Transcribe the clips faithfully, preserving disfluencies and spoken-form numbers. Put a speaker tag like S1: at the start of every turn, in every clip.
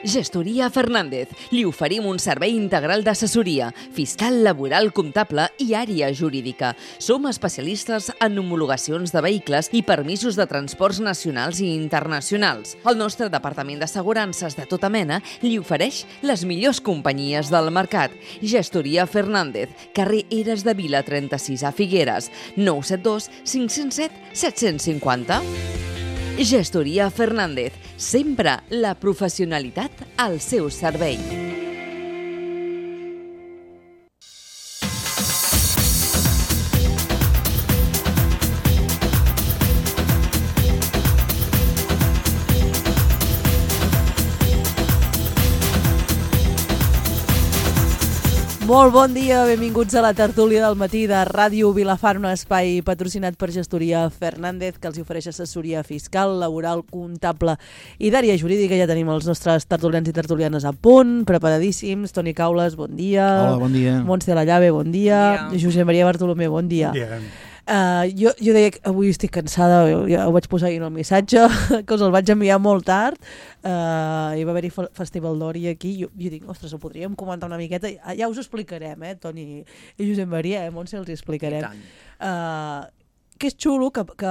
S1: Gestoria Fernández. Li oferim un servei integral d'assessoria, fiscal, laboral, comptable i àrea jurídica. Som especialistes en homologacions de vehicles i permisos de transports nacionals i internacionals. El nostre departament d'assegurances de tota mena li ofereix les millors companyies del mercat. Gestoria Fernández, carrer Eres de Vila trenta-sis a Figueres, nou set dos cinc zero set set cinc zero. Gestoria Fernández, sempre la professionalitat al seu servei.
S2: Molt bon dia, benvinguts a la tertúlia del matí de Ràdio Vilafant, un espai patrocinat per Gestoria Fernández, que els ofereix assessoria fiscal, laboral, comptable i d'àrea jurídica. Ja tenim els nostres tertulians i tertulianes a punt, preparadíssims. Toni Caules, bon dia.
S3: Hola, bon dia.
S2: Montse Lallave, bon dia.
S4: Bon dia.
S2: Josep Maria Bartolomé, bon dia.
S3: Bon dia.
S2: Uh, jo, jo deia que avui estic cansada, ja ho vaig posar ahir en el missatge, que us el vaig enviar molt tard, uh, hi va haver-hi Festival d'Ori aquí, jo, jo dic, ostres, ho podríem comentar una miqueta, ja us ho explicarem, eh, Toni i Josep Maria, eh, Montse, els hi explicarem. Uh, que és xulo que, que,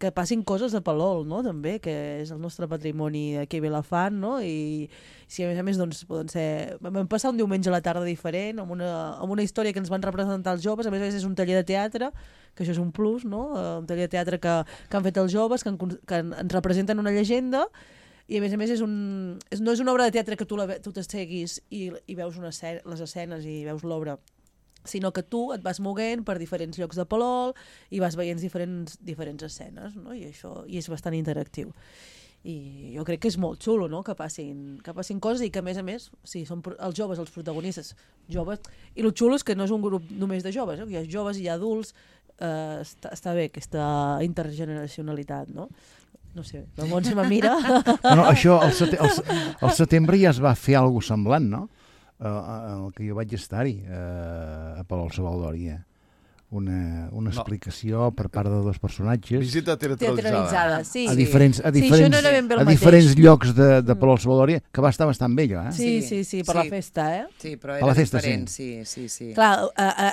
S2: que passin coses a Palol, no?, també, que és el nostre patrimoni aquí a Vilafant, no?, i si a més a més doncs, poden ser... Vam passar un diumenge a la tarda diferent, amb una, amb una història que ens van representar els joves, a més a més és un taller de teatre, que això és un plus, no?, un taller de teatre que, que han fet els joves, que, en, que ens representen una llegenda, i a més a més és un, és, no és una obra de teatre que tu, la, tu t'asseguis i, i veus una escena, les escenes i veus l'obra, sinó que tu et vas moguent per diferents llocs de Palol i vas veient diferents, diferents escenes, no? I això i és bastant interactiu. I jo crec que és molt xulo, no?, que passin, que passin coses i que, a més a més, sí, són els joves els protagonistes, joves, i el xulo és que no és un grup només de joves, eh? Hi ha joves i hi ha adults, eh, està, està bé aquesta intergeneracionalitat, no? No sé, la Montse me mira.
S3: No, no, això, al sete, al setembre ja es va fer alguna cosa semblant, no? Uh, el que jo vaig estar-hi uh, a Palol Savaldòria. Una, una explicació no. per part de dos personatges.
S5: Visita teatralitzada.
S2: Teatralitzada, sí.
S3: A diferents, a diferents,
S2: sí, no era ben bé el
S3: a
S2: mateix.
S3: diferents llocs de, de Palol Savaldòria, que va estar bastant bé, eh?
S2: Sí, sí, sí, per sí. la festa, eh?
S4: Sí, però
S3: A
S4: era
S3: la festa,
S4: diferent, sí, sí, sí.
S2: Clar,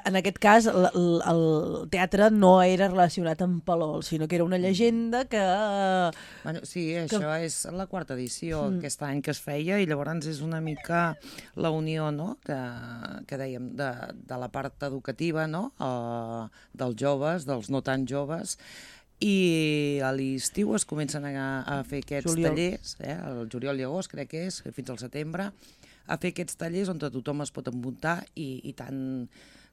S2: en aquest cas, el, el teatre no era relacionat amb Palol, sinó que era una llegenda que...
S4: Bueno, sí, això que... és la quarta edició mm. aquest any que es feia, i llavors és una mica la unió, no?, que, que dèiem, de, de la part educativa, no?, uh, dels joves, dels no tan joves, i a l'estiu es comencen a, a fer aquests juliol. tallers, eh, el juliol i agost crec que és, fins al setembre, a fer aquests tallers on tothom es pot apuntar, i, i tant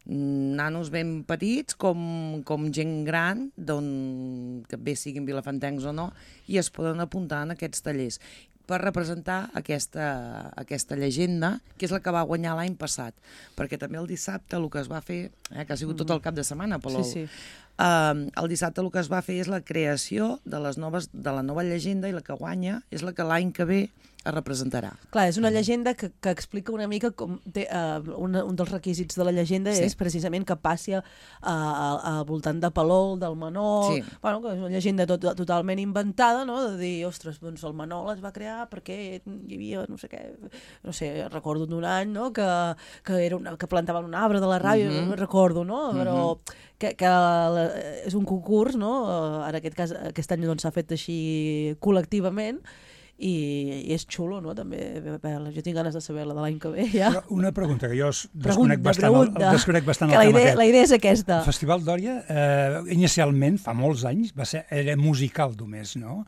S4: nanos ben petits com, com gent gran, don, que bé siguin vilafantencs o no, i es poden apuntar en aquests tallers per representar aquesta, aquesta llegenda, que és la que va guanyar l'any passat. Perquè també el dissabte el que es va fer, eh, que ha sigut tot el cap de setmana, Palol, sí, sí. Uh, el dissabte el que es va fer és la creació de, les noves, de la nova llegenda, i la que guanya és la que l'any que ve es representarà.
S2: Clar, és una llegenda que, que explica una mica com té, uh, una, un dels requisits de la llegenda sí. és precisament que passi a, a, a, al voltant de Palol, del Manol, sí. bueno, que és una llegenda tot, totalment inventada, no?, de dir, ostres, doncs el Manol es va crear perquè hi havia, no sé què, no sé, recordo d'un any, no?, que, que, era una, que plantaven un arbre de la ràdio, mm-hmm. no recordo, no?, però mm-hmm. que, que la, és un concurs, no?, en aquest cas, aquest any doncs, s'ha fet així col·lectivament, i, i és xulo, no?, també. Jo tinc ganes de saber la de l'any que ve, ja.
S6: Però una pregunta, que jo
S2: pregunta,
S6: desconec bastant,
S2: pregunta.
S6: El, desconec bastant
S2: que
S6: el
S2: la
S6: tema
S2: idea,
S6: aquest.
S2: La idea és aquesta.
S6: El Festival d'Òria, eh, inicialment, fa molts anys, va ser, era musical només, no?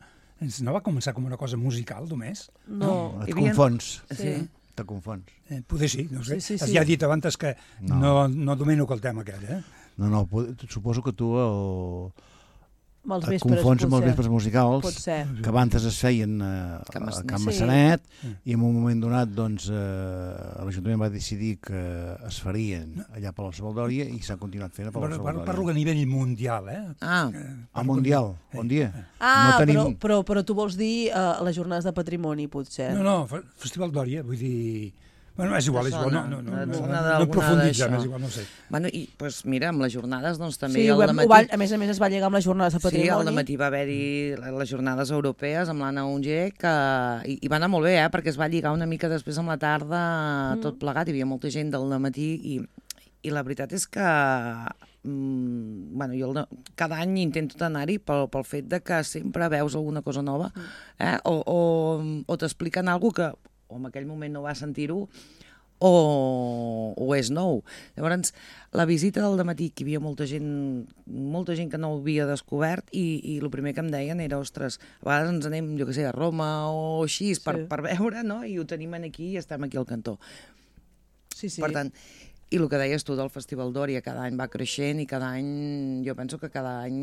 S6: No va començar com una cosa musical només?
S2: No.
S3: no et confons.
S2: Sí.
S3: Te confons.
S6: Eh, poder sí, no sé.
S2: Sí, sí, sí.
S6: Ja he dit abans que no, no, no domino el tema aquest, eh?
S3: No, no, suposo que tu el...
S2: els
S3: et
S2: vespres,
S3: confons amb els vespres musicals que abans es feien a, a Can Massanet, sí. I en un moment donat doncs, eh, l'Ajuntament va decidir que es farien allà per la Savaldòria i s'ha continuat fent a per la Savaldòria.
S6: Parlo a nivell mundial, eh?
S4: Ah,
S3: a mundial, bon dia.
S2: Ah, no tenim... però, però, però tu vols dir uh, les jornades de patrimoni, potser?
S6: No, no, Festival d'Òria, vull dir... Bueno, és igual, és igual, no, no, no, no, no profunditzem, és igual, no sé.
S4: Bueno, i doncs mira, amb les jornades, doncs també
S2: sí,
S4: al
S2: vam,
S4: dematí...
S2: va, a més a més es va lligar amb les jornades de patrimoni.
S4: Sí, al dematí va haver-hi les jornades europees amb l'Anna Unger, que i, i va anar molt bé, eh, perquè es va lligar una mica després amb la tarda, mm. tot plegat, hi havia molta gent del dematí i, i la veritat és que mm, bueno, jo el, cada any intento anar-hi pel, pel fet de que sempre veus alguna cosa nova, eh, o, o, o t'expliquen alguna cosa que o en aquell moment no va sentir-ho, o, o és nou. Llavors, la visita del dematí, que hi havia molta gent, molta gent que no ho havia descobert, i, i el primer que em deien era, ostres, a vegades ens anem, jo què sé, a Roma o així, sí. per, per veure, no? I ho tenim aquí i estem aquí al cantó.
S2: Sí, sí.
S4: Per tant, i el que deies tu del Festival d'Òria, cada any va creixent i cada any, jo penso que cada any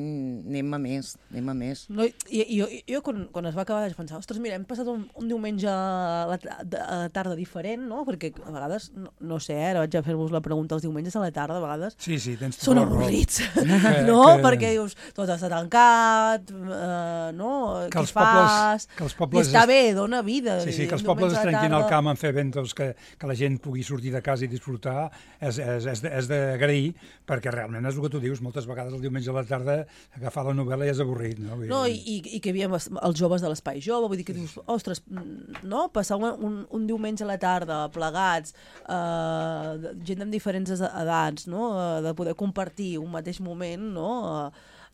S4: anem a més, anem a més.
S2: No, i, i, jo, jo quan, quan es va acabar vaig pensar, ostres, mira, hem passat un, un diumenge a la, a la tarda diferent, no? Perquè a vegades, no, no sé, ara vaig a fer-vos la pregunta, els diumenges a la tarda, a vegades
S6: sí, sí, tens
S2: són avorrits, que, no? Que... Perquè dius, tot està tancat, uh, no?
S6: Que
S2: Què fas?
S6: Que els pobles
S2: I està bé, dona vida.
S6: Sí, sí, que els pobles es trenquin al camp en fer eventos que, que la gent pugui sortir de casa i disfrutar, és, és, és, és d'agrair, perquè realment és el que tu dius, moltes vegades el diumenge a la tarda agafar la novel·la i és avorrit. No,
S2: no i, i, i que hi havia els joves de l'Espai Jove, vull dir que dius, ostres, no? Passar un, un, un diumenge a la tarda, plegats, eh, gent amb diferents edats, no? De poder compartir un mateix moment, no?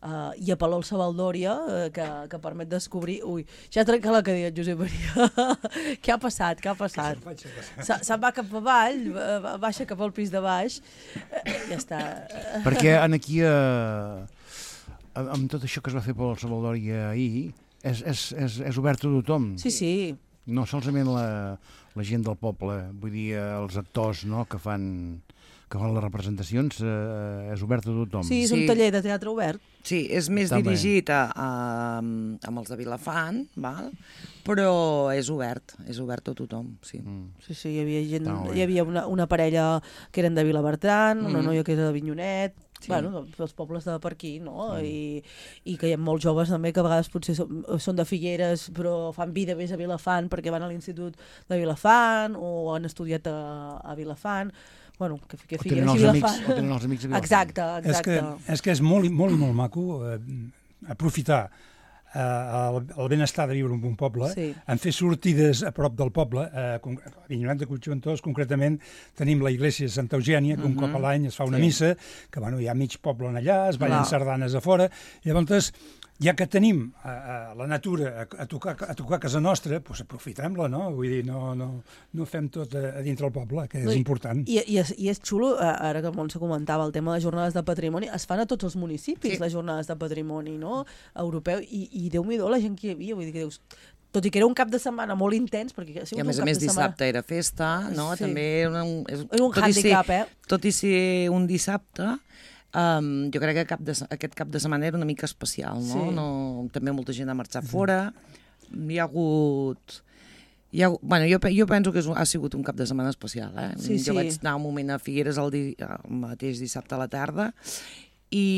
S2: Uh, i a Palol Savaldòria, uh, que, que permet descobrir... Ui, ja ha trencat la cadira, Josep Maria. Què ha passat? Què ha passat? Se'n va cap avall, baixa cap al pis de baix, uh, ja està.
S3: Perquè en aquí, uh, amb tot això que es va fer Palol Savaldòria ahir, és, és, és, és obert a tothom.
S2: Sí, sí.
S3: No solament la, la gent del poble, vull dir, els actors, no?, que fan... que fan les representacions, eh, és obert a tothom.
S2: Sí, és un
S4: sí.
S2: taller de teatre obert.
S4: Sí, és més Està dirigit a, a, amb els de Vilafant, val? Però és obert, és obert a tothom, sí.
S2: Mm. Sí, sí, hi havia, gent, hi havia una, una parella que eren de Vilabertran, mm. una noia que era de Vinyonet, sí. Bueno, dels pobles de per aquí, no? Mm. I, I que hi ha molts joves també que a vegades potser són, són de Figueres però fan vida més a Vilafant perquè van a l'institut de Vilafant o han estudiat a, a Vilafant. Bueno, que, que Figueres i Vilafant.
S3: O tenen els amics a Vilafant.
S2: Exacte, exacte.
S6: És que és, que és molt, molt, molt maco eh, aprofitar eh, el, el benestar de viure en un poble, sí. En fer sortides a prop del poble, eh, a Avinyonet de Puigventós, concretament, tenim la iglésia de Santa Eugènia, que un uh-huh. cop a l'any es fa una sí. missa, que bueno, hi ha mig poble allà, es ballen sardanes a fora, i llavors, ja que tenim a, a la natura a, a, tocar, a tocar a casa nostra, doncs aprofitem-la, no? Vull dir, no, no, no fem tot a, a dintre el poble, que és no, important.
S2: I, i, és, I és xulo, ara que el Montse comentava, el tema de les jornades de patrimoni, es fan a tots els municipis, sí. Les jornades de patrimoni, no? Europeu, i, i Déu-m'hi-do la gent que hi havia, vull dir que dius... Tot i que era un cap de setmana molt intens, perquè ha sigut
S4: I a més
S2: un cap
S4: a més dissabte
S2: setmana...
S4: era festa, no? Sí. També era un, és,
S2: és un handicap,
S4: ser,
S2: eh?
S4: Tot i ser un dissabte, um, jo crec que cap de, aquest cap de setmana era una mica especial, no? Sí. No també molta gent ha marxat fora, hi ha hagut... Hi ha, bueno, jo, jo penso que és, ha sigut un cap de setmana especial, eh?
S2: Sí,
S4: jo
S2: sí.
S4: vaig anar un moment a Figueres el, di, el mateix dissabte a la tarda i...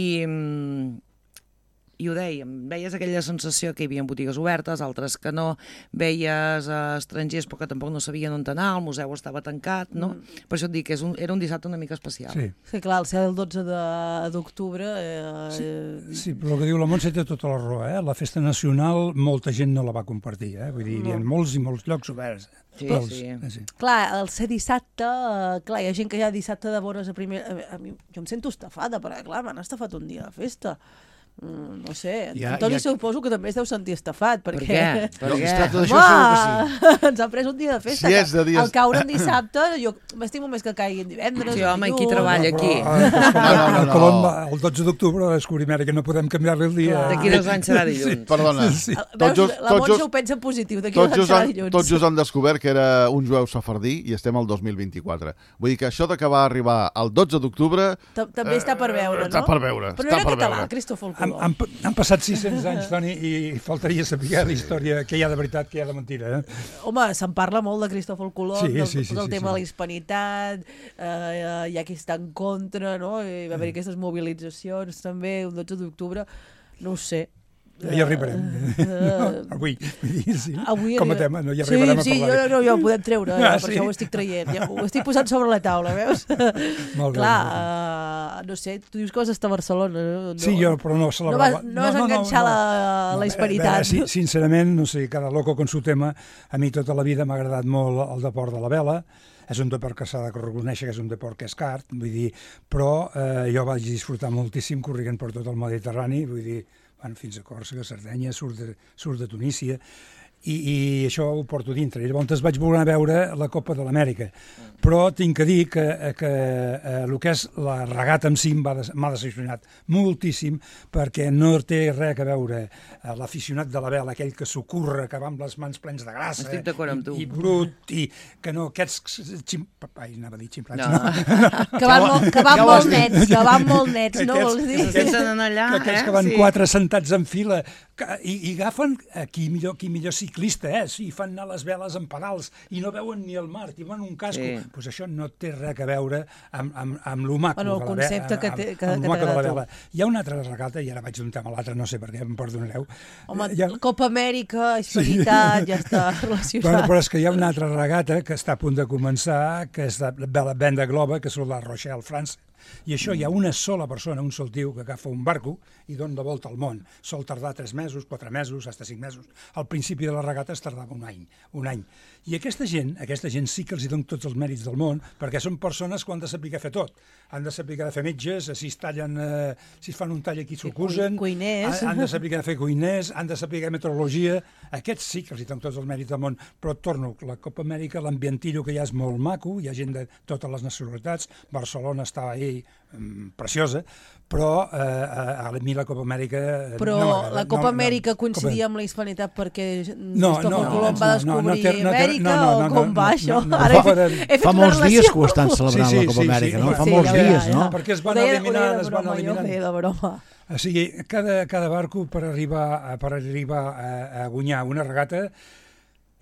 S4: i ho dèiem, veies aquella sensació que hi havia botigues obertes, altres que no, veies uh, estrangers però que tampoc no sabien on anar, el museu estava tancat, no? Mm. Per això et dic que és un, era un dissabte una mica especial.
S6: Sí,
S2: sí clar, el ser el dotze d'octubre... Eh,
S6: sí, sí, però el que diu la Montse té tota la raó, eh? La festa nacional molta gent no la va compartir, eh? Vull dir, no. Hi ha molts i molts llocs oberts.
S4: Sí,
S6: els,
S4: sí.
S6: Eh, sí.
S2: Clar, el ser dissabte, eh, clar, hi ha gent que ja dissabte de vores a primer... A, a mi, jo em sento estafada, perquè clar, m'han estafat un dia de festa. Mm, no sé, ja, Antoni ja... suposo que també es deu sentir estafat perquè...
S4: Per què? Per
S3: no,
S4: què?
S3: Es tracta d'això, segur que sí.
S2: Ens ha pres un dia de festa.
S3: Si és de dies...
S2: Al caure en dissabte, jo m'estimo més que caigui en divendres.
S4: Sí, home, qui treballa aquí?
S6: No, no, no, no, no, no. El dotze d'octubre descobrim ara que no podem canviar-li el dia.
S4: D'aquí dos anys serà dilluns.
S5: Sí, perdona.
S2: Sí. Veus, just, la Montse ho pensa en positiu, d'aquí dos anys serà dilluns.
S5: Tots just han descobert que era un jueu safardí i estem al dos mil vint-i-quatre. Vull dir que això de que va arribar el dotze d'octubre...
S2: També està per veure, no?
S5: Està per veure.
S2: Però no era català, Cristòfol Colom.
S6: Han, han, han passat sis-cents anys, Toni, i faltaria saber la història, què hi ha de veritat, què hi ha de mentira. Eh?
S2: Home, se'n parla molt de Cristòfol Colom,
S6: sí,
S2: del,
S6: sí, sí,
S2: del
S6: sí,
S2: tema
S6: sí.
S2: de la hispanitat, eh, hi ha qui està en contra, no? I va haver aquestes mobilitzacions també, un dotze d'octubre, no ho sé.
S6: Ja hi arribarem. No, avui, sí,
S2: avui
S6: com a tema, no hi arribarem
S2: sí,
S6: a parlar.
S2: Sí, no, no, ja ho podem treure,
S6: Ah,
S2: per
S6: sí?
S2: això ho estic traient, ja ho estic posant sobre la taula, veus?
S6: Molt bé,
S2: Clar,
S6: molt bé.
S2: uh, no sé, tu dius que vas estar a Barcelona. No,
S6: Sí, jo, però no
S2: no vas, no vas enganxar no, no, no. la, la hispanitat.
S6: Sí, sincerament, no sé, cada loco con su tema. A mi tota la vida m'ha agradat molt el deport de la vela. És un deport que s'ha de reconèixer que és un deport que és car, vull dir, però eh, jo vaig disfrutar moltíssim corrent per tot el Mediterrani, vull dir, bueno, fins a Còrsega, Sardenya, surt de, surt de Tunísia, i, i això ho porto dintre. I llavors vaig voler veure la Copa de l'Amèrica, però tinc que dir que, que eh, el que és la regata en si m'ha decepcionat moltíssim, perquè no té res a veure eh, l'aficionat de la vela, aquell que s'ocorre, que va amb les mans plens de grassa,
S4: Estic d'acord amb tu.
S6: i, i brut, i que no, aquests xim... Ai, anava a dir ximplats,
S4: No.
S6: no.
S2: Que van, molt, que van molt nets, que van molt nets, no
S6: Aquests-
S2: vols dir?
S4: Que se senten allà,
S6: que aquells
S4: eh?
S6: que van
S4: Sí.
S6: quatre sentats en fila que, i, i agafen eh, qui millor, qui millor ciclista és, i fan anar les veles en pedals i no veuen ni el mar, i van un casco.
S4: Sí.
S6: Pues això no té res a veure amb, amb, amb lo maco
S2: Bueno, el
S6: de la
S2: concepte
S6: vela,
S2: que
S6: amb,
S2: té- que-
S6: amb
S2: que
S6: lo maco de la
S2: t'agrada a tu.
S6: vela. Hi ha una altra regata, i ara vaig d'un tema a l'altre, no sé per què, em perdonareu.
S2: Home,
S6: Hi ha...
S2: Copa Amèrica, hispanitat, ja està relacionat.
S6: Bueno, però és que hi ha una altra regata que està a punt de començar, que és de la Venda Globa, que és la Rochelle, França. I això hi ha una sola persona, un sol tio, que agafa un barco i dona la volta al món. Sol tardar tres mesos, quatre mesos, fins a cinc mesos. Al principi de la regata es tardava un any. Un any. I aquesta gent, aquesta gent sí que els hi donen tots els mèrits del món, perquè són persones que han de saber fer tot. Han de saber fer metges, si es tallen, eh, si es fan un tall aquí s'ocusen,
S2: cuiners.
S6: han, han de saber fer cuiners, han de saber meteorologia. Aquests sí que els hi donen tots els mèrits del món. Però torno, la Copa Amèrica, l'ambientillo que hi ha és molt maco, hi ha gent de totes les nacionalitats, Barcelona està ahí mm, preciosa, però eh, a, a mi la Copa Amèrica
S2: Però
S6: no m'agrada.
S2: la Copa
S6: no,
S2: Amèrica
S6: no,
S2: coincidia amb la hispanitat perquè
S6: No,
S2: Cristòfor
S6: no,
S2: Colom
S6: no,
S2: va
S6: no,
S2: descobrir
S6: no té- no té-
S2: Amèrica
S6: no, no, no,
S2: o com
S6: no,
S2: va
S6: no,
S2: això?
S6: no, no,
S2: Ara he
S6: fa-
S2: fet, he fet
S3: Fa
S2: una
S3: molts dies
S2: relació.
S3: que ho estan celebrant,
S6: Sí, sí,
S3: la Copa
S6: sí,
S3: Amèrica,
S6: sí,
S3: no?
S6: sí,
S3: Fa
S6: sí,
S3: molts
S6: ja,
S3: dies,
S6: ja,
S3: no?
S6: ja. Perquè es van
S2: Ho deia- ho
S6: eliminant,
S2: deia de
S6: es van
S2: broma, jo ho
S6: eliminant.
S2: feia de broma.
S6: O sigui, cada, cada barco per arribar, a- per arribar a, a guanyar una regata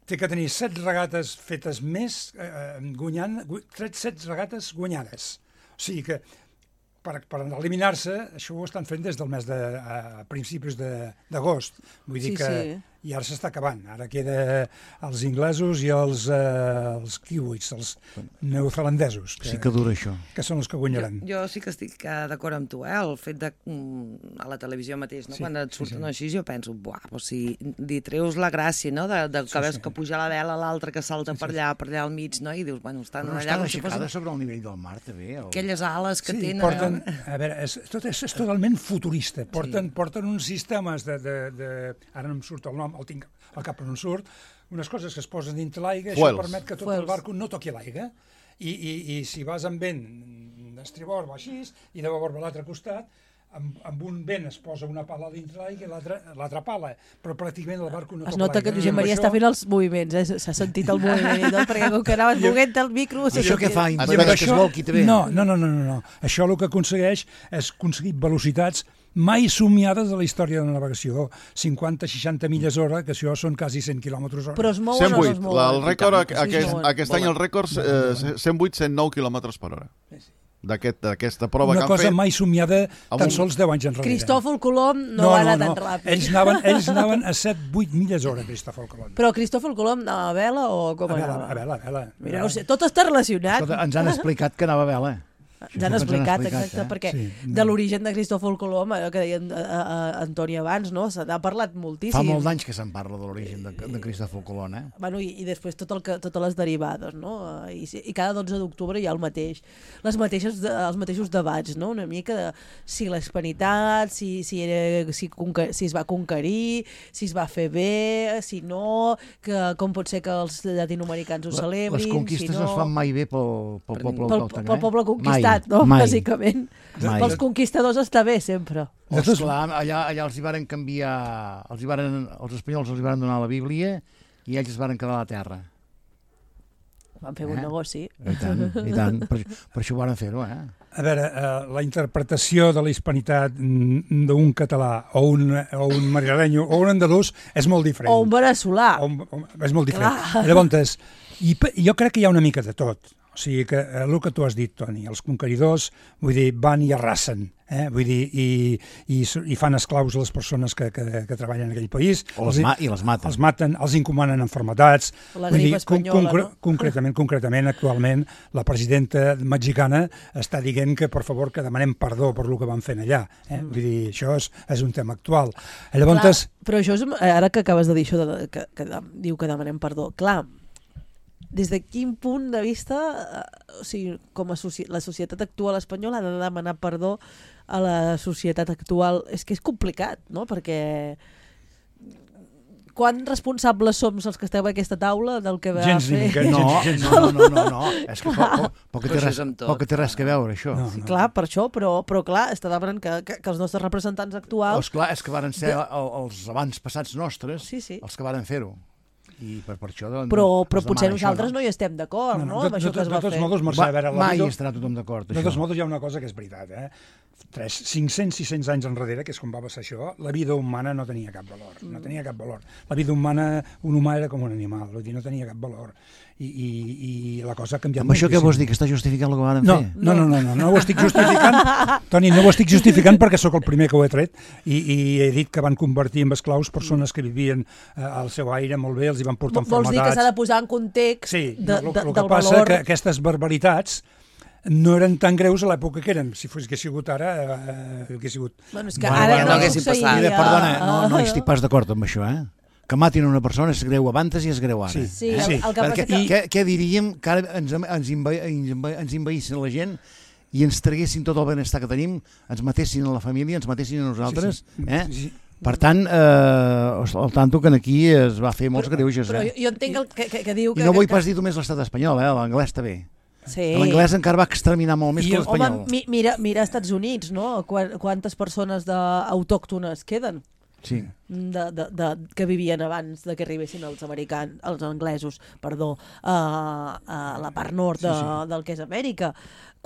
S6: té que tenir set regates fetes més, eh, guanyant, gu- set, set regates guanyades. O sigui que per, per eliminar-se, això ho estan fent des del mes de a principis de- d'agost. Vull dir
S2: Sí,
S6: que
S2: sí.
S6: i ara s'està acabant. Ara queda els inglesos i els, eh, els kiwis, els neozelandesos, que,
S3: Sí que dura això.
S6: que són els que guanyaran.
S4: Jo, jo sí que estic eh, d'acord amb tu, eh? El fet de, mm, a la televisió mateix, no?
S6: Sí,
S4: Quan et
S6: sí,
S4: surten
S6: sí.
S4: així, jo penso, buah, doncs si li treus la gràcia, no? De, de que
S6: Sí,
S4: veus
S6: sí.
S4: que puja la vela, l'altre que salta per allà, per allà al mig, no? I dius, bueno, estan
S3: Però no
S4: allà
S3: està
S4: com si
S3: aixecada
S4: fossin
S3: sobre el nivell del mar, també? O...
S4: aquelles ales que
S6: Sí,
S4: tenen...
S6: porten, a veure, és, tot és, és totalment futurista. Porten, sí. porten uns sistemes de, de, de... Ara no em surt el nom, el tinc al cap però no em surt, unes coses que es posen dintre l'aigua, això
S5: Fuels.
S6: permet que tot
S2: Fuels.
S6: el barco no toqui l'aigua. I, i, I si vas amb vent d'estribord va així, i de babord a l'altre costat, amb, amb un vent es posa una pala dintre l'aigua i l'altra l'altra pala, però pràcticament el barco no
S2: Es
S6: toca
S2: nota que
S6: l'aigua.
S2: Josep
S6: I amb
S2: Maria
S6: això-
S2: està fent els moviments, eh? S'ha sentit el moviment i tot, perquè com que anaves moguent el micro...
S3: I això què fa?
S6: I
S3: Impedeix
S6: amb
S3: que es volqui també?
S6: No, no, no, no, no, no. Això el que aconsegueix és aconseguir velocitats mai somiades a la història de la navegació. cinquanta seixanta milles hora, que això són quasi cent quilòmetres hora.
S2: Però es mouen
S5: cent
S2: o no
S5: vuit.
S2: es
S5: La,
S2: mouen?
S5: el rècord,
S2: Sí, es
S5: aquest,
S2: mouen.
S5: aquest any el rècord eh, cent vuit cent nou quilòmetres per hora. D'aquest- D'aquesta prova
S6: Una
S5: que han
S6: cosa
S5: fet.
S6: mai somiada
S5: Amb
S6: tan
S5: un-
S6: sols deu anys enrere.
S2: Cristòfol Colom no, va anar tan ràpid.
S6: Ells anaven, ells anaven a set vuit milles hora, Cristòfol Colom.
S2: Però Cristòfol Colom anava a vela o com
S6: A vela,
S2: anava?
S6: a vela, a vela.
S2: Mira, no sé, tot està relacionat.
S3: Escolta, ens han explicat que anava a vela.
S2: Ens han explicat, exacte,
S3: eh?
S2: perquè
S6: Sí.
S2: de l'origen de Cristòfol Colom, allò que deia a, a, a Antoni abans, no? Se n'ha parlat moltíssim.
S3: Fa molts anys que se'n parla de l'origen de, de Cristòfol Colom, eh?
S2: Bueno, i, i després tot el que, totes les derivades, no? I, si- i cada dotze d'octubre hi ha el mateix, les mateixes, de- els mateixos debats, no? Una mica de si la hispanitat, si, si, era, si, conque, si es va conquerir, si es va fer bé, si no, que com pot ser que els llatinoamericans ho celebrin,
S3: Les conquistes
S2: si no...
S3: no es fan mai bé pel, pel poble
S2: pel,
S3: autòcton,
S2: pel
S3: eh?
S2: poble conquistat,
S3: Mai,
S2: no?
S3: mai.
S2: Bàsicament.
S3: Mai.
S2: Pels conquistadors està bé, sempre.
S3: Oh, esclar, allà, allà els hi varen canviar, els, hi varen, els espanyols els hi varen donar la Bíblia i ells es varen quedar a la terra.
S2: Van fer un
S3: Eh?
S2: negoci.
S3: I tant, i tant. Per, per això ho varen fer-ho, eh?
S6: A veure, eh, la interpretació de la hispanitat mm, d'un català o un, o un madrileño o un andalús és molt diferent.
S2: O un veneçolà.
S6: O un, o, és molt diferent.
S2: Clar.
S6: Llavors, i, pe- jo crec que hi ha una mica de tot. O sigui que el que tu has dit, Toni, els conqueridors, vull dir, van i arrasen, eh? Vull dir, i, i, i fan esclaus a les persones que, que, que treballen en aquell país.
S3: O les ma I les maten.
S6: Els maten, els incomanen enfermetats.
S2: La grip espanyola,
S6: concre
S2: no?
S6: Concretament, concretament, actualment, la presidenta mexicana està dient que, per favor, que demanem perdó per el que van fent allà. Eh? Vull dir, això és, és un tema actual. Llavors...
S2: Clar, però això és, ara que acabes de dir això, de, que, que diu que demanem perdó, clar, des de quin punt de vista, o sigui, com a soci la societat actual espanyola ha de demanar perdó a la societat actual? És que és complicat, no? Perquè quan responsables som els que esteu a aquesta taula del que va
S6: gens
S2: fer?
S6: Gens,
S3: no,
S6: gens,
S3: no, no, no, no. És que poc, poc,
S4: Però
S3: té
S4: això
S3: res,
S4: és amb tot.
S3: poc té res que veure, això.
S6: No,
S2: Sí, clar, per això, però, però clar, està demanant que, que, que els nostres representants actuals...
S3: Doncs clar, és que varen ser el, els abans passats nostres
S2: Sí, sí.
S3: els que varen fer-ho. I per, per això, doncs,
S2: Però, però
S3: es
S2: potser
S3: demana
S2: nosaltres
S3: això,
S2: no hi estem d'acord, no?
S6: no,
S2: Amb això que es va
S6: de tots
S2: fer.
S6: modos, Mercè,
S3: Va,
S6: a veure, la
S3: mai
S6: vida-
S3: estarà tothom d'acord,
S6: De
S3: això.
S6: tots modos, hi ha una cosa que és veritat, eh? Tres, cinc-cents, sis-cents anys enrere, que és com va passar això, la vida humana no tenia cap valor. No tenia cap valor. La vida humana, un humà era com un animal, vull dir, no tenia cap valor. I, i, i la cosa ha canviat
S3: Amb això què
S6: moltíssim.
S3: vols dir? Que està justificant el que van
S6: No,
S3: fer?
S6: no, no, no, no, no ho estic justificant, Toni, no ho estic justificant perquè sóc el primer que ho he tret i, i he dit que van convertir en esclaus persones que vivien eh, al seu aire molt bé, els hi van portar
S2: Vols dir que s'ha de posar en context
S6: Sí,
S2: de,
S6: no, el,
S2: de,
S6: el que
S2: del
S6: passa
S2: valor...
S6: que aquestes barbaritats no eren tan greus a l'època que eren. Si fos que sigut ara, eh, hauria sigut...
S2: Bueno, és que
S3: Bueno,
S2: ara
S3: bueno,
S2: no,
S3: no
S4: haguessin
S2: succeiria.
S4: passat.
S3: Mira, perdona, no, no hi
S2: Ah,
S3: estic pas d'acord amb això, eh? Que matin una persona és greu abans i és greu ara.
S6: Sí.
S2: Sí,
S3: eh?
S2: el, el que
S3: Perquè,
S2: passa que...
S3: què, què diríem que ara ens, ens, envaï, ens, envaï, ens envaïssin la gent i ens traguessin tot el benestar que tenim, ens matessin a la família, ens matessin a nosaltres?
S6: Sí, sí.
S3: Eh?
S6: Sí, sí.
S3: Per tant, eh, al tanto que aquí es va fer molts greuges.
S2: Però
S3: Eh?
S2: jo, jo entenc el que, que, que diu que...
S3: I no vull
S2: que,
S3: pas dir només l'estat espanyol, eh? L'anglès també.
S2: Sí.
S3: L'anglès encara va exterminar molt més
S6: I
S3: que
S6: el-
S3: l'espanyol.
S2: Home, mi, mira, mira als Estats Units, no? Quan, quantes persones de, autòctones queden?
S3: Sí.
S2: De, de, de, que vivien abans de que arribessin els americans, els anglesos, perdó, a, a la part nord de, sí, sí. del que és Amèrica.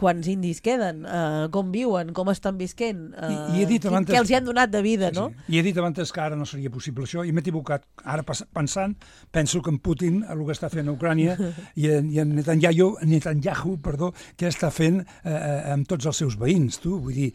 S2: Quants indis queden? Uh, com viuen? Com estan visquent? Uh,
S6: I- i he dit abans-
S2: Què els hi han donat de vida, no?
S6: Sí. I he dit abans que ara no seria possible això, i m'he equivocat. Ara pensant, penso que en Putin, el que està fent a Ucrània, i en, i en Netanyahu, Netanyahu, perdó, què està fent eh, amb tots els seus veïns, tu? Vull dir,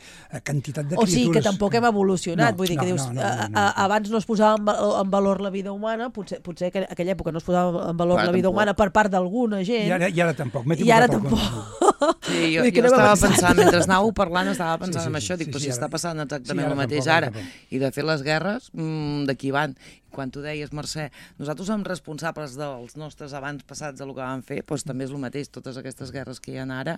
S6: quantitat de
S2: O
S6: criatures...
S2: sigui que tampoc hem evolucionat,
S6: No,
S2: vull dir que
S6: no,
S2: dius,
S6: no, no, no, no.
S2: a, a, abans no es posava en, va- en valor la vida humana, potser, potser que en aquella època no es posava en valor
S4: Clar,
S2: la vida
S4: tampoc.
S2: humana per part d'alguna gent,
S6: I ara, i ara tampoc, m'he
S2: i ara
S6: equivocat.
S2: tampoc.
S4: Sí, jo,
S2: Vull dir que
S4: jo
S2: no va
S4: estava
S2: pensar.
S4: pensant, mentre anàveu parlant, estava pensant
S6: Sí, sí,
S4: en
S6: sí,
S4: això, dic,
S6: sí,
S4: però
S6: sí,
S4: si
S6: ara-
S4: està passant
S6: sí,
S4: exactament
S6: ara
S4: el mateix
S6: tampoc,
S4: ara,
S6: ara tampoc.
S4: i de fet les guerres, mmm, d'aquí van. I quan tu deies, Mercè, nosaltres som responsables dels nostres abans passats de lo que van fer, doncs també és el mateix, totes aquestes guerres que hi ha ara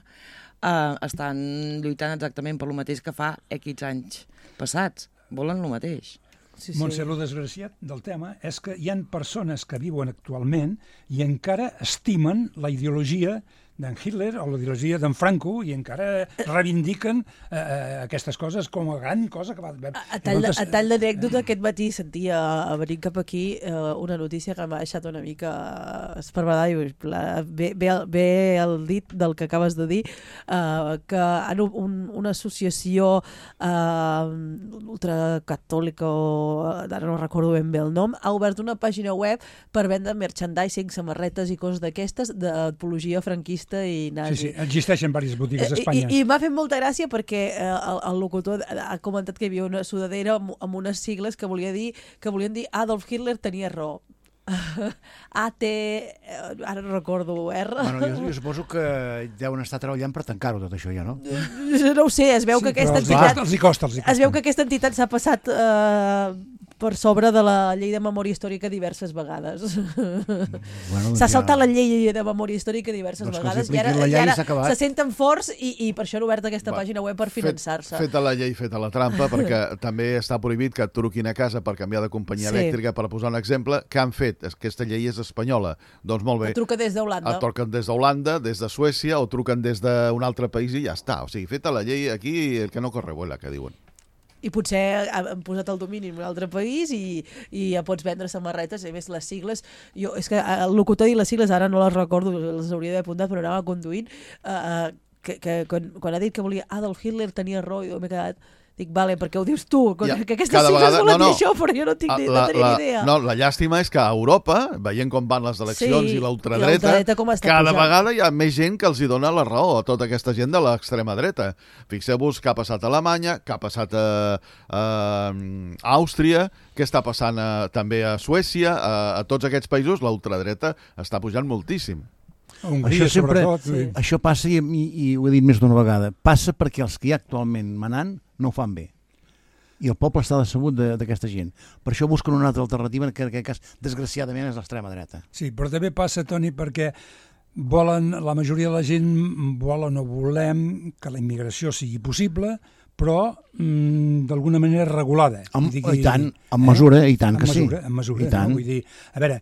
S4: eh, estan lluitant exactament per lo mateix que fa X anys passats, volen lo mateix.
S2: Sí,
S6: Sí. Montse, el desgraciat del tema és que hi han persones que viuen actualment i encara estimen la ideologia d'en Hitler o la ideologia d'en Franco i encara reivindiquen eh, aquestes coses com a gran cosa que va haver.
S2: A, a tall, de, a tall d'anècdota, aquest matí sentia a venir cap aquí eh, una notícia que m'ha deixat una mica esparverada i la, ve, ve, el, ve el dit del que acabes de dir, eh, que en un, una associació eh, ultracatòlica, o ara no recordo ben bé el nom, ha obert una pàgina web per vendre merchandising, samarretes i coses d'aquestes d'apologia franquista i nazi.
S6: Sí, sí, existeixen diverses botigues a Espanya.
S2: I, i m'ha fet molta gràcia perquè eh, el, el locutor ha comentat que hi havia una sudadera amb, amb unes sigles que volia dir que volien dir Adolf Hitler tenia raó. A T... Ara no recordo, R...
S3: Bueno, jo, jo suposo que deuen estar treballant per tancar-ho tot això ja, no?
S2: No ho sé, es veu
S6: Sí,
S2: que aquesta
S6: però els hi
S2: entitat...
S6: costa, els hi costa, els hi costa.
S2: Es veu que aquesta entitat s'ha passat eh, per sobre de la llei de memòria històrica diverses vegades.
S3: Bueno,
S2: S'ha
S3: ja-
S2: saltat la llei de memòria històrica diverses
S3: Doncs que els
S2: vegades i ara,
S3: apliquin la llei
S2: i ara
S3: i s'ha acabat.
S2: se senten forts i, i per això han obert aquesta
S5: Va,
S2: pàgina web per finançar-se.
S5: Fet, feta la llei, feta la trampa, perquè també està prohibit que et truquin a casa per canviar de companyia
S2: Sí.
S5: elèctrica, per posar un exemple. Què han fet? Aquesta llei és espanyola. Doncs molt bé.
S2: Truca des d'Holanda.
S5: Et truquen des d'Holanda, des de Suècia, o truquen des d'un altre país i ja està. O sigui, feta la llei aquí, el que no corre vuela, que diuen.
S2: I potser han posat el domini en un altre país i, i ja pots vendre samarretes, i a més les sigles, jo, és que el locutor i les sigles ara no les recordo, les hauria d'haver apuntat, però anava conduint, eh, que, que quan, quan ha dit que volia Adolf Hitler tenia raó, jo m'he quedat, Dic, vale, perquè ho dius tu,
S5: Ja,
S2: que aquestes
S5: cada
S2: sigles
S5: vegada-
S2: volen
S5: no, no.
S2: dir això, però jo no, tinc, ni- no
S5: La,
S2: tenia
S5: la,
S2: ni idea.
S5: no, la llàstima és que a Europa, veient com van les eleccions
S2: Sí,
S5: i
S2: i
S5: l'ultradreta,
S2: l'ultradreta com està
S5: cada
S2: pujant.
S5: vegada hi ha més gent que els hi dona la raó a tota aquesta gent de l'extrema dreta. Fixeu-vos què ha passat a Alemanya, què ha passat a, a Àustria, què està passant a, també a Suècia, a, a tots aquests països l'ultradreta està pujant moltíssim.
S6: A Hongria,
S3: Això sempre,
S6: sobretot.
S3: sí. Això passa, i, i, i ho he dit més d'una vegada, passa perquè els que hi ha actualment manant no ho fan bé. I el poble està decebut d'aquesta gent. Per això busquen una altra alternativa, que en aquest cas, desgraciadament, és l'extrema dreta.
S6: Sí, però també passa, Toni, perquè volen, la majoria de la gent volen o volem que la immigració sigui possible, però mm, d'alguna manera regulada.
S3: Amb,
S6: I, digui,
S3: I tant, en mesura, eh? i tant
S6: en
S3: que
S6: mesura,
S3: sí.
S6: En mesura,
S3: I tant.
S6: no? Vull dir, a veure,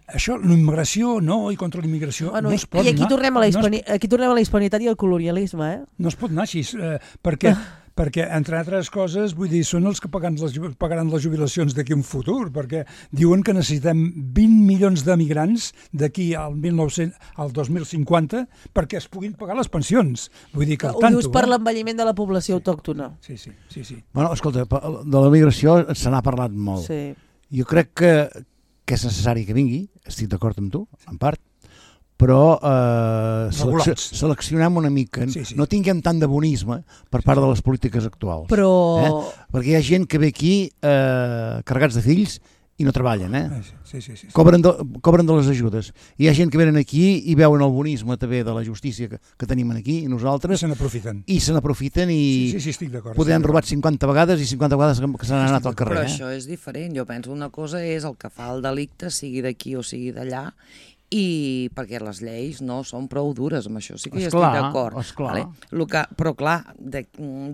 S6: això, la immigració no, i contra la immigració
S2: Bueno,
S6: no es pot
S2: I aquí
S6: anar,
S2: tornem, a la
S6: no es
S2: hispani... aquí tornem a la hispanitat i al colonialisme, eh?
S6: No es pot anar així, eh, perquè, perquè, entre altres coses, vull dir, són els que pagaran les, pagaran les jubilacions d'aquí un futur, perquè diuen que necessitem vint milions de migrants d'aquí al, mil nou-cents al dos mil cinquanta perquè es puguin pagar les pensions. Vull dir que
S2: Ho
S6: el tanto,
S2: dius per
S6: eh?
S2: l'envelliment de la població autòctona.
S6: Sí, sí, sí, sí.
S3: Bueno, escolta, de la migració se n'ha parlat molt.
S2: Sí.
S3: Jo crec que, que és necessari que vingui, estic d'acord amb tu, en part, però eh, seleccio, seleccionem una mica, sí, sí. no tinguem tant de bonisme per part de les polítiques actuals.
S2: Però...
S3: Eh? Perquè hi ha gent que ve aquí eh, carregats de fills i no treballen, eh?
S6: Sí, sí, sí, sí.
S3: Cobren, de, cobren de les ajudes. Hi ha gent que venen aquí i veuen el bonisme també de la justícia que, que tenim aquí i nosaltres.
S6: I se n'aprofiten.
S3: I se n'aprofiten i
S6: sí, sí, sí, estic d'acord.
S3: poder han robat cinquanta vegades i cinquanta vegades que se n'han anat al carrer.
S4: Però
S3: eh?
S4: això és diferent. Jo penso una cosa és el que fa el delicte, sigui d'aquí o sigui d'allà, i perquè les lleis no són prou dures amb això, sí que hi estic d'acord. Vale? Que, però clar, de,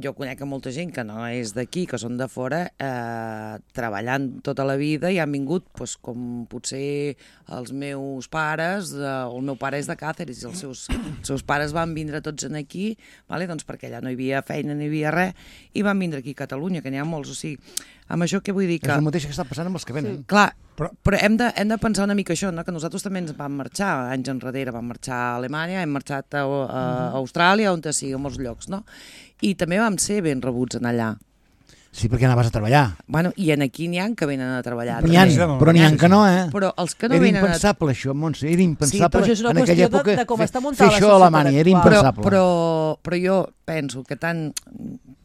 S4: jo conec a molta gent que no és d'aquí, que són de fora, eh, treballant tota la vida i han vingut, pues, com potser els meus pares, eh, el meu pare és de Càceres i els seus, els seus pares van vindre tots en aquí, vale? Doncs perquè allà no hi havia feina, no hi havia res, i van vindre aquí a Catalunya, que n'hi ha molts, o sigui, amb això què vull dir? Que...
S3: És el mateix que està passant amb els que venen.
S4: Sí, clar, però, però hem, de, hem de pensar una mica això, no? Que nosaltres també ens vam marxar, anys enrere vam marxar a Alemanya, hem marxat a, a, a Austràlia, on sigui, a molts llocs, no? I també vam ser ben rebuts en allà.
S3: Sí, perquè anaves a treballar.
S4: Bueno, i en aquí n'hi ha que venen a treballar.
S3: N'hi ha, però n'hi ha que no, eh?
S4: Però els que no
S3: era
S4: venen
S3: impensable, a... això, Montse, era impensable
S2: sí,
S3: en aquella època
S2: de, de com està
S3: fer això a Alemanya, era impensable.
S4: Però, però, però jo penso que tant...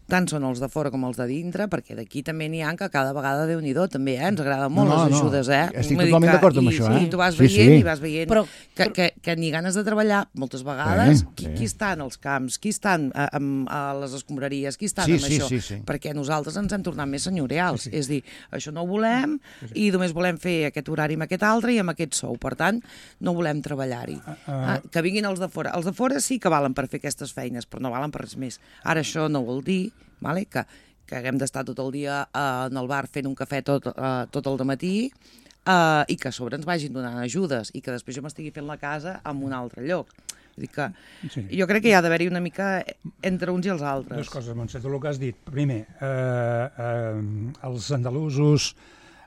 S4: tant són els de fora com els de dintre, perquè d'aquí també n'hi ha que cada vegada, Déu-n'hi-do, també, eh? Ens agraden molt no, les ajudes, eh?
S3: No, estic totalment d'acord amb
S4: i,
S3: això, eh?
S4: I tu vas
S3: sí,
S4: veient
S3: sí.
S4: i vas veient però, que, que, que ni ganes de treballar, moltes vegades, sí, qui, sí. qui estan als camps, qui estan a, a, a les escombraries, qui estan
S3: sí,
S4: amb
S3: sí,
S4: això,
S3: sí, sí.
S4: perquè nosaltres ens hem tornat més senyorials, sí, sí. és dir, això no ho volem
S6: sí, sí.
S4: i només volem fer aquest horari amb aquest altre i amb aquest sou, per tant, no volem treballar-hi. Uh, uh, ah, que vinguin els de fora. Els de fora sí que valen per fer aquestes feines, però no valen per res més. Ara això no vol dir vale? que, que haguem d'estar tot el dia eh, en el bar fent un cafè tot, eh, tot el dematí eh, i que a sobre ens vagin donant ajudes i que després jo m'estigui fent la casa en un altre lloc. Vull dir que sí. Jo crec que hi ha d'haver-hi una mica entre uns i els altres.
S6: Dues coses, Montse, el que has dit. Primer, eh, eh, els andalusos,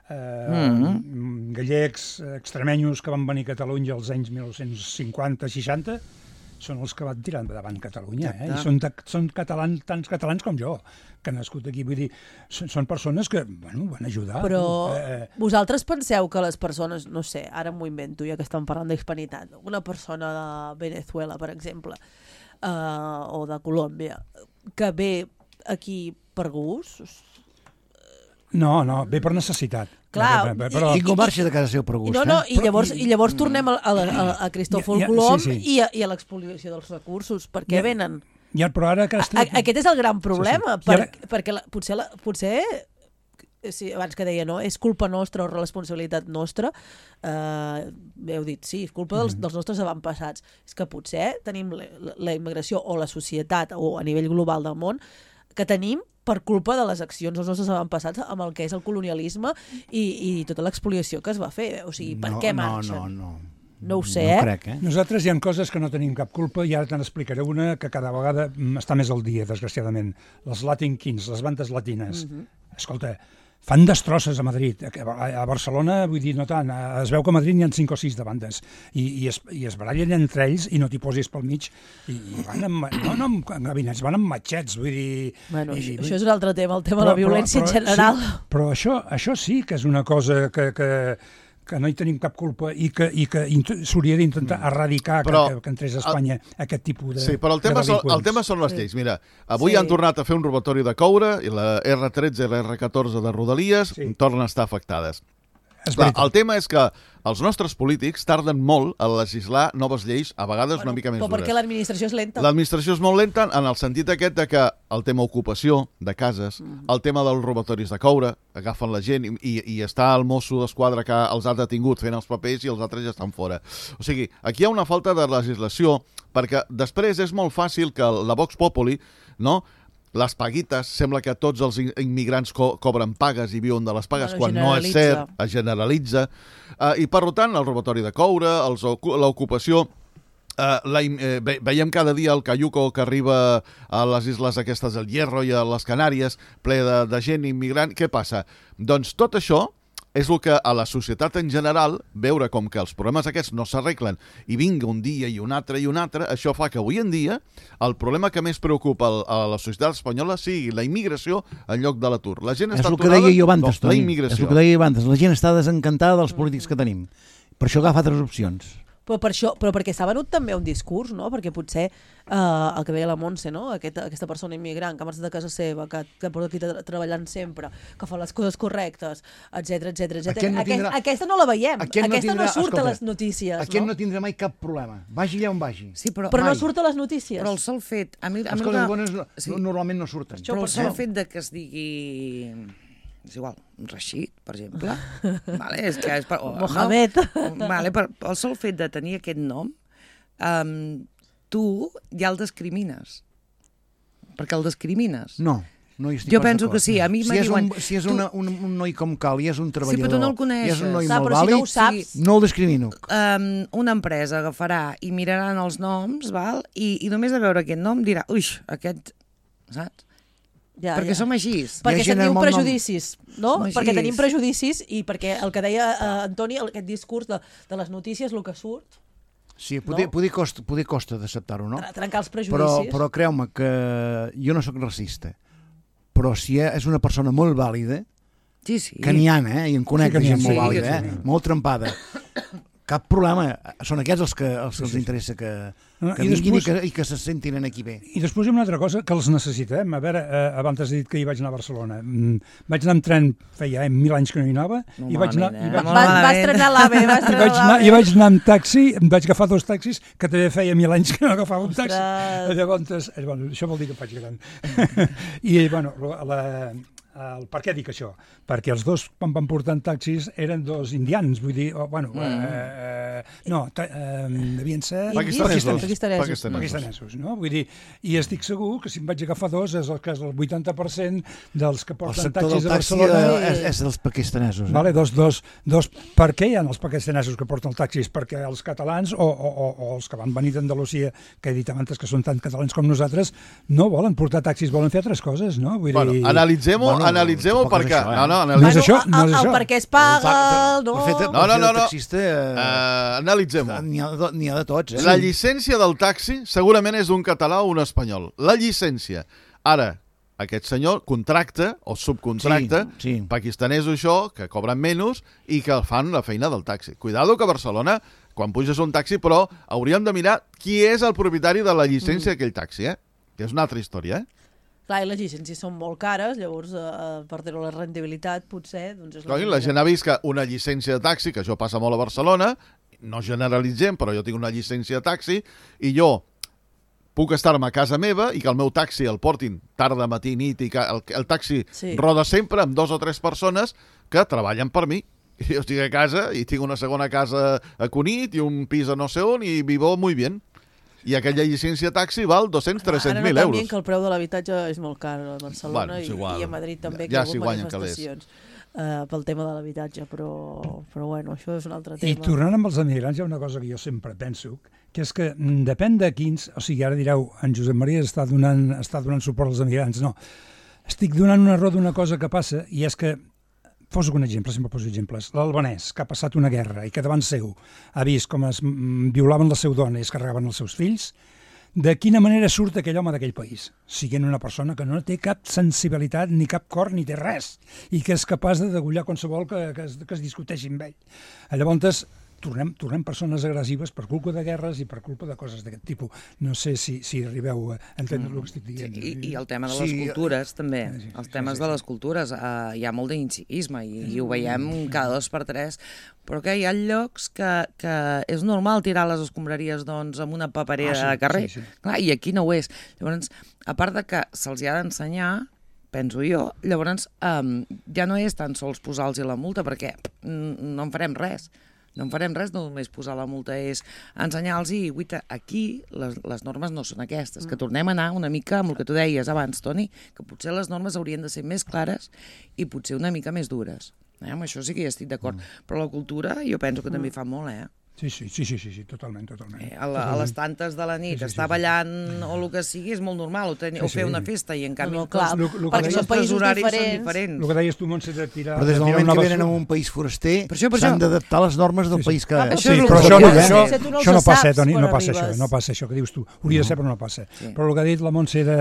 S6: eh, mm-hmm. gallecs, extremenyos que van venir a Catalunya als anys mil nou-cents cinquanta seixanta, són els que van tirar endavant Catalunya, eh? I són, de, són catalans, tants catalans com jo, que han nascut aquí. Vull dir, són, són persones que, bueno, van ajudar.
S2: Però
S6: eh,
S2: vosaltres penseu que les persones, no sé, ara m'ho invento, ja que estem parlant d'hispanitat, una persona de Venezuela, per exemple, eh, o de Colòmbia, que ve aquí per gust...
S6: No, no, ve per necessitat.
S2: Clar,
S3: però... Ningú marxa de casa seu per gust.
S2: No, no,
S3: eh?
S2: i llavors, i llavors tornem a, a, a, a Cristòfol
S6: ja, ja,
S2: Colom
S6: sí, sí.
S2: i a, i a l'expoliació dels recursos. Per què ja, venen?
S6: Ja, però ara que
S2: a, aquest és el gran problema, sí, sí. Per,
S6: ara...
S2: perquè la, potser, la, potser sí, abans que deia, no? És culpa nostra o responsabilitat nostra. Eh, heu dit, sí, és culpa dels, dels nostres avantpassats. És que potser tenim la, la immigració o la societat o a nivell global del món que tenim per culpa de les accions dels nostres avantpassats amb el que és el colonialisme i, i tota l'expoliació que es va fer. O sigui, per
S3: no,
S2: què marxen?
S3: No, no, no.
S2: No ho sé,
S3: no
S2: eh?
S3: crec, eh?
S6: Nosaltres hi ha coses que no tenim cap culpa i ara te n'explicaré una que cada vegada està més al dia, desgraciadament. Les Latin Kings, les bandes latines. Uh-huh. Escolta, fan destrosses a Madrid. A Barcelona, vull dir, no tant. Es veu que a Madrid n'hi ha cinc o sis de bandes i, i, es, i es barallen entre ells i no t'hi posis pel mig i, i van amb, no, no amb gabinets, van amb matxets, vull dir...
S2: Bueno,
S6: i,
S2: això és un altre tema, el tema però, de la violència però, però, en general.
S6: Sí, però això, això sí que és una cosa que... que que no hi tenim cap culpa i que, i que s'hauria d'intentar erradicar però, que, que entrés a Espanya el, aquest tipus de
S5: Sí, però el tema, són, el tema són les lleis. Mira, avui sí. han tornat a fer un robatori de coure i la erre tretze i la erre catorze de Rodalies sí. tornen a estar afectades. Clar, el tema és que els nostres polítics tarden molt a legislar noves lleis, a vegades bueno, una mica més
S2: dures. Però perquè l'administració és lenta.
S5: L'administració és molt lenta en el sentit aquest de que el tema ocupació de cases, mm. el tema dels robatoris de coure, agafen la gent i, i està el mosso d'esquadra que els ha detingut fent els papers i els altres ja estan fora. O sigui, aquí hi ha una falta de legislació perquè després és molt fàcil que la Vox Populi, no?, les paguites, sembla que tots els immigrants co cobren pagues i viuen de les pagues, bueno, quan no és cert, es generalitza. Uh, I, per tant, el robatori de coure, l'ocupació... Uh, la, eh, ve, veiem cada dia el cayuco que arriba a les isles aquestes del Hierro i a les Canàries, ple de, de gent immigrant. Què passa? Doncs tot això és el que a la societat en general, veure com que els problemes aquests no s'arreglen i vinga un dia i un altre i un altre, això fa que avui en dia el problema que més preocupa a la societat espanyola sigui la immigració en lloc de l'atur. La gent està aturada,
S3: no,
S5: la immigració.
S3: És el que deia jo abans, la gent està desencantada dels polítics que tenim. Per això agafa altres opcions.
S2: Però, per això, però perquè s'ha venut també un discurs, no? Perquè potser eh, el que deia la Montse, no? Aquest, aquesta persona immigrant que ha marxat de casa seva, que, que porta aquí treballant sempre, que fa les coses correctes, etcètera, etcètera, etcètera. No tindrà... Aquest, aquesta no la veiem, aquesta no, tindrà... no surt escolta, a les notícies.
S3: Aquest
S2: no?
S3: no tindrà mai cap problema, vagi allà on vagi.
S2: Sí, però però no surt a les notícies.
S4: Però el sol fet... A mi, a
S3: les
S4: mi
S3: coses
S4: que...
S3: bones no, sí. normalment no surten.
S4: Però el sol fet de que es digui... és igual, Rashid, per exemple. Vale, és que és per, oh,
S2: Mohamed.
S4: No? Vale, per, el sol fet de tenir aquest nom, um, tu ja el discrimines. Perquè el discrimines.
S3: No, no hi estic
S4: Jo penso que sí. A mi
S3: si és,
S4: diuen,
S3: un, si és
S4: tu...
S3: una, un, un noi com cal i és un treballador,
S4: sí, però tu no el coneixes.
S3: i és un noi
S2: Clar,
S3: molt
S2: però
S3: vàlid,
S2: si no ho saps...
S3: no el discrimino.
S4: Um, una empresa agafarà i miraran els noms, val? I, i només de veure aquest nom dirà, uix, aquest... Saps?
S2: Ja,
S4: perquè
S2: ja.
S4: som així.
S2: Perquè tenim prejudicis, no?
S4: Som
S2: perquè
S4: aixís.
S2: tenim prejudicis i perquè el que deia uh, Antoni, el, aquest discurs de, de les notícies, el que surt...
S3: Sí, poder, no? poder costa, poder costa d'acceptar-ho, no?
S2: Trencar els prejudicis.
S3: Però, però creu-me que jo no sóc racista, però si és una persona molt vàlida,
S4: sí, sí.
S3: que n'hi ha, eh? I en conec sí, gent sí, molt vàlida, eh?
S6: Sí.
S3: Molt trempada. Cap problema, són aquests els que els, que els interessa que,
S6: no,
S3: que
S6: i
S3: vinguin
S6: després,
S3: i, que, i que se sentin aquí bé.
S6: I després hi ha una altra cosa que els necessitem. A veure, eh, abans has dit que hi vaig anar a Barcelona. Mm, vaig anar amb tren, feia eh, mil anys que no hi anava, no i vaig anar...
S2: Eh? I vaig, va, vas trenar l'AVE, vas trenar l'AVE.
S6: I vaig anar amb taxi, em vaig agafar dos taxis, que també feia mil anys que no agafava un taxi.
S2: Ostres.
S6: Llavors, eh, bueno, això vol dir que faig gran. I, bueno, la... El, per què dic això? Perquè els dos, quan van portant taxis, eren dos indians, vull dir, oh, bueno, mm. eh, no, ta, eh, devien ser...
S5: Pakistanesos.
S2: Pakistanesos.
S5: Pakistanesos.
S6: Pakistanesos, no? Vull dir, i estic segur que si em vaig agafar dos és el cas del vuitanta per cent dels que porten taxis de Barcelona.
S3: El és, és dels pakistanesos. Eh?
S6: Vale, dos, dos, dos. Per què hi ha els pakistanesos que porten taxis? Perquè els catalans o, o, o, o els que van venir d'Andalusia, que he dit abans que són tan catalans com nosaltres, no volen portar taxis, volen fer altres coses, no? Vull
S5: bueno,
S6: dir...
S5: Analitzem-ho, bueno, analitzem-ho perquè...
S3: Això, eh?
S5: No, no,
S6: no és això, no és
S2: el,
S6: això.
S2: El perquè es paga... No,
S3: fet,
S5: no, no, no, no.
S3: Taxista, eh,
S5: uh, analitzem-ho.
S3: N'hi ha, ha de tots. Eh?
S5: La llicència del taxi segurament és d'un català o un espanyol. La llicència. Ara, aquest senyor contracta o subcontracta
S3: sí, sí.
S5: pakistanesos això, que cobren menys i que fan la feina del taxi. Cuidado que a Barcelona, quan puges un taxi, però hauríem de mirar qui és el propietari de la llicència mm. d'aquell taxi, eh? Que és una altra història, eh?
S2: Clar, i les llicències són molt cares, llavors eh, per tenir la rendibilitat potser... Doncs és la,
S5: Clar, la gent ha vist que una llicència de taxi, que això passa molt a Barcelona, no generalitzem, però jo tinc una llicència de taxi, i jo puc estar-me a casa meva i que el meu taxi el portin tarda, matí, nit, i que el, el taxi sí. roda sempre amb dos o tres persones que treballen per mi. I jo estic a casa i tinc una segona casa a Cunit i un pis a no sé on i vivo muy bien. I aquella llicència taxi val dos-cents a tres-cents mil euros.
S2: Ara no que el preu de l'habitatge és molt car a Barcelona
S5: bueno,
S2: i, i a Madrid també,
S5: ja,
S2: que
S5: ja
S2: hi ha algunes manifestacions uh, pel tema de l'habitatge, però, però bueno, això és un altre tema.
S6: I tornant amb els emigrants hi ha una cosa que jo sempre penso, que és que depèn de quins... O sigui, ara direu, en Josep Maria està donant, està donant suport als emigrants. No, estic donant una raó d'una cosa que passa, i és que poso un exemple, sempre poso exemples. L'albanès, que ha passat una guerra i que davant seu ha vist com es violaven la seva dona i es carregaven els seus fills, de quina manera surt aquell home d'aquell país? Siguent una persona que no té cap sensibilitat, ni cap cor, ni té res, i que és capaç de degullar qualsevol que, que, es, que es discuteixi amb ell. Llavors, tornem, tornem persones agressives per culpa de guerres i per culpa de coses d'aquest tipus. No sé si, si arribeu a entendre mm. el que estic dient.
S4: Sí, i, I el tema de les sí. cultures, també. Sí, sí, els temes sí, sí, sí. de les cultures. Uh, hi ha molt d'incivisme i, i ho veiem cada dos per tres, però que hi ha llocs que, que és normal tirar les escombraries doncs, amb una paperera ah, sí, de carrer. Sí, sí. Clar, i aquí no ho és. Llavors, a part de que se'ls ha d'ensenyar, penso jo, llavors um, ja no és tan sols posar-los la multa, perquè no en farem res. No en farem res, no només posar la multa, és ensenyar-los i, guita, aquí les, les normes no són aquestes, que tornem a anar una mica amb el que tu deies abans, Toni, que potser les normes haurien de ser més clares i potser una mica més dures. Eh? Amb això sí que hi estic d'acord, mm. però la cultura jo penso que mm. també fa molt, eh?
S6: Sí, sí, sí, sí, sí, sí, totalment, totalment.
S4: Eh, a, la, a les tantes de la nit, sí, sí, estar sí, ballant sí. o el que sigui és molt normal, o, ten, sí, sí. o fer una festa, i en canvi no, no, clar,
S2: lo, lo perquè són països diferents.
S6: diferents. El que deies tu, Montse, de tirar...
S3: Però des del moment que venen a un país foraster s'han d'adaptar les normes del
S6: sí, sí.
S3: país que...
S6: Ah, això sí, però això no, això, això, això no passa, Toni, no passa això, no passa això que dius tu. Hauria de ser, però no passa. Sí. Però el que ha dit la Montse de,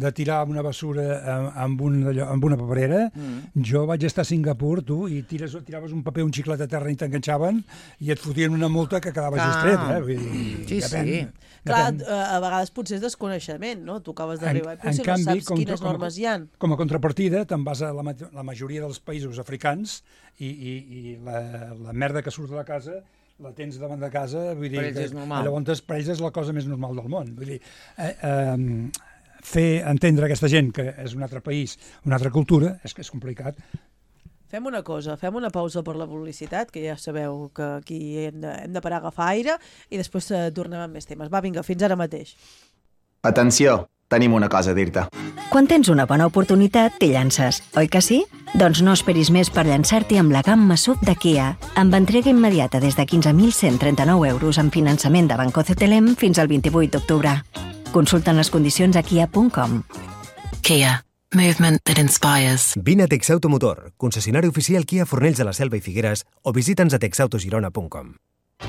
S6: de tirar una basura amb, un, amb una paperera, mm. jo vaig estar a Singapur, tu, i tires, tiraves un paper, un xiclet a terra i t'enganxaven i et fotien una multa que quedava just. Eh? Vull dir,
S4: sí,
S6: depèn,
S4: sí.
S6: Depèn.
S2: Clar, a vegades potser és desconeixement, no? Tu acabes d'arribar i potser no canvi, saps quines com, normes hi ha.
S6: Com a contrapartida, te'n vas a la, la majoria dels països africans i, i, i la, la merda que surt de la casa la tens davant de casa, vull dir,
S4: per ells és normal.
S6: Llavors per ells és la cosa més normal del món. Vull dir, eh, eh, fer entendre a aquesta gent que és un altre país, una altra cultura, és que és complicat.
S2: Fem una cosa, fem una pausa per la publicitat, que ja sabeu que aquí hem de, hem de parar a agafar aire, i després eh, tornem amb més temes. Va, vinga, fins ara mateix.
S7: Atenció, tenim una cosa a dir-te.
S8: Quan tens una bona oportunitat, t'hi llances, oi que sí? Doncs no esperis més per llançar-t'hi amb la gamma S U V de Kia, amb entrega immediata des de quinze mil cent trenta-nou euros en finançament de Banco C T L M fins al vint-i-vuit d'octubre. Consulten les condicions a kia punt com.
S9: Kia. Movement that inspires.
S10: Vine a Texauto Motor, concessionari oficial Kia Fornells de la Selva i Figueres, o visita'ns a texautogirona punt com.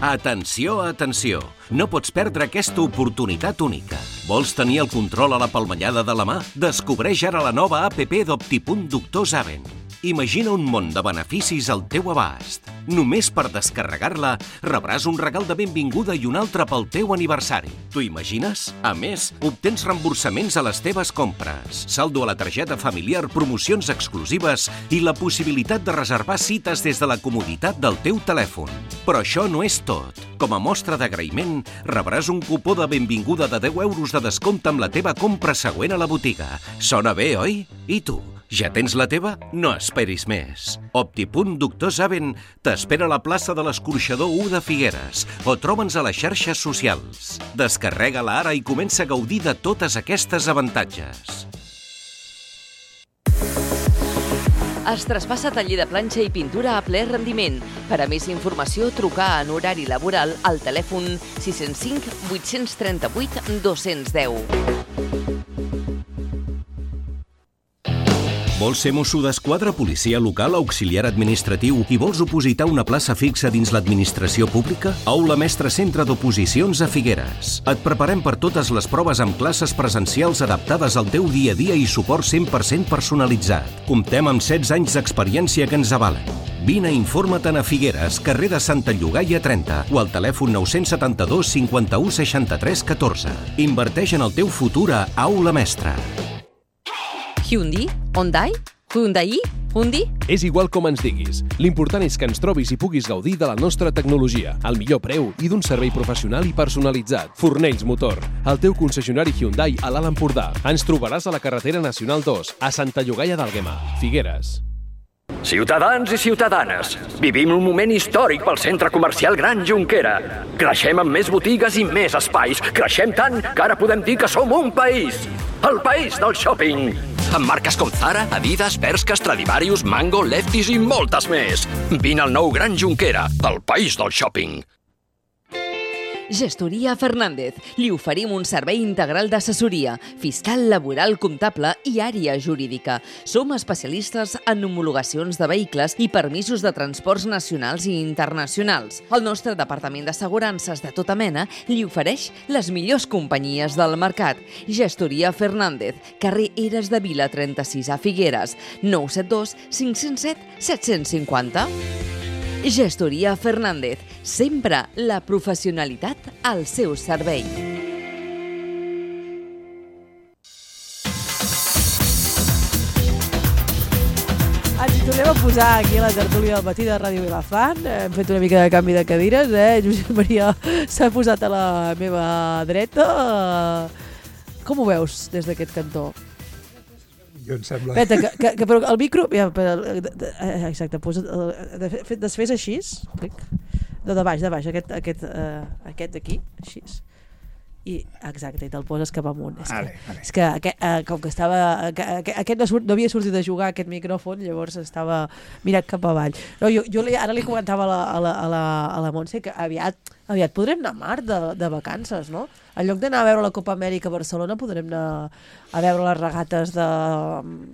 S11: Atenció, atenció! No pots perdre aquesta oportunitat única. Vols tenir el control a la palmellada de la mà? Descobreix ara la nova app d'Optipunt Doctor Zaven. Imagina un món de beneficis al teu abast. Només per descarregar-la rebràs un regal de benvinguda i un altre pel teu aniversari. T'ho imagines? A més, obtens reemborsaments a les teves compres, saldo a la targeta familiar, promocions exclusives i la possibilitat de reservar cites des de la comoditat del teu telèfon. Però això no és tot. Com a mostra d'agraïment, rebràs un cupó de benvinguda de deu euros de descompte amb la teva compra següent a la botiga. Sona bé, oi? I tu? Ja tens la teva? No esperis més. Optipunt Doctor Zaven t'espera a la plaça de l'Escorxador u de Figueres o troba'ns a les xarxes socials. Descarrega-la ara i comença a gaudir de totes aquestes avantatges.
S1: Es traspassa taller de planxa i pintura a ple rendiment. Per a més informació, trucar en horari laboral al telèfon sis zero cinc vuit tres vuit dos zero zero.
S11: Vols ser mosso d'esquadra, policia local, auxiliar administratiu i vols opositar una plaça fixa dins l'administració pública? Aula Mestre Centre d'Oposicions a Figueres. Et preparem per totes les proves amb classes presencials adaptades al teu dia a dia i suport cent per cent personalitzat. Comptem amb setze anys d'experiència que ens avalen. Vine i informa-te'n a Figueres, carrer de Santa Llogaia trenta o al telèfon nou set dos cinquanta-u seixanta-tres catorze. Inverteix en el teu futur a Aula Mestre.
S1: Hyundai? Hyundai? Hyundai? Hyundai?
S12: És igual com ens diguis. L'important és que ens trobis i puguis gaudir de la nostra tecnologia, al millor preu i d'un servei professional i personalitzat. Fornells Motor, el teu concessionari Hyundai a l'Alt Empordà. Ens trobaràs a la carretera Nacional dos, a Santa Llogaia d'Àlguema, Figueres.
S13: Ciutadans i ciutadanes, vivim un moment històric pel centre comercial Gran Jonquera. Creixem amb més botigues i més espais. Creixem tant que ara podem dir que som un país. El país del shopping. Amb marques com Zara, Adidas, Bershka, Stradivarius, Mango, Lefties i moltes més. Vine al nou Gran Jonquera, el país del shopping.
S1: Gestoria Fernández. Li oferim un servei integral d'assessoria, fiscal, laboral, comptable i àrea jurídica. Som especialistes en homologacions de vehicles i permisos de transports nacionals i internacionals. El nostre departament d'assegurances de tota mena li ofereix les millors companyies del mercat. Gestoria Fernández, carrer Eres de Vila trenta-sis a Figueres, nou set dos cinc zero set set cinc zero. Gestoria Fernández, sempre la professionalitat al seu servei.
S2: Ens hi tornem a posar aquí a la tertúlia del matí de Ràdio Vilafant. Hem fet una mica de canvi de cadires, eh? Josep Maria s'ha posat a la meva dreta. Com ho veus des d'aquest cantó?
S6: Jo em sembla...
S2: Peta, que, que, que però el micro... Ja, per, exacte, posa, de, desfés així, de, de baix, de baix, aquest, aquest, uh, aquest d'aquí, així. I, exacte, i te'l poses cap amunt. És
S6: vale,
S2: que,
S6: vale. És
S2: que aquest, uh, com que estava... Que, aquest no, no havia sortit de jugar aquest micròfon, llavors estava mirat cap avall. No, jo, jo li, ara li comentava a la, a la, a la, a la Montse que aviat, aviat podrem anar a mar de, de vacances, no? En lloc d'anar a veure la Copa Amèrica a Barcelona, podrem anar a veure les regates de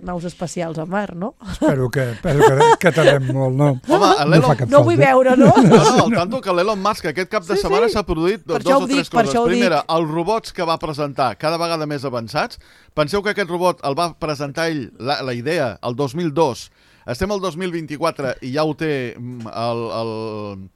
S2: naus espacials a mar, no?
S6: Espero que, espero que, que tardem molt, no?
S5: Home,
S2: no, no ho vull veure, no?
S5: No, no, al tanto que l'Elon Musk aquest cap de
S2: sí,
S5: setmana
S2: sí.
S5: s'ha produït
S2: per
S5: dos o tres
S2: dic,
S5: coses. Primera, els robots que va presentar cada vegada més avançats. Penseu que aquest robot el va presentar ell, la, la idea, el dos mil dos. Estem al dos mil vint-i-quatre i ja ho té el... el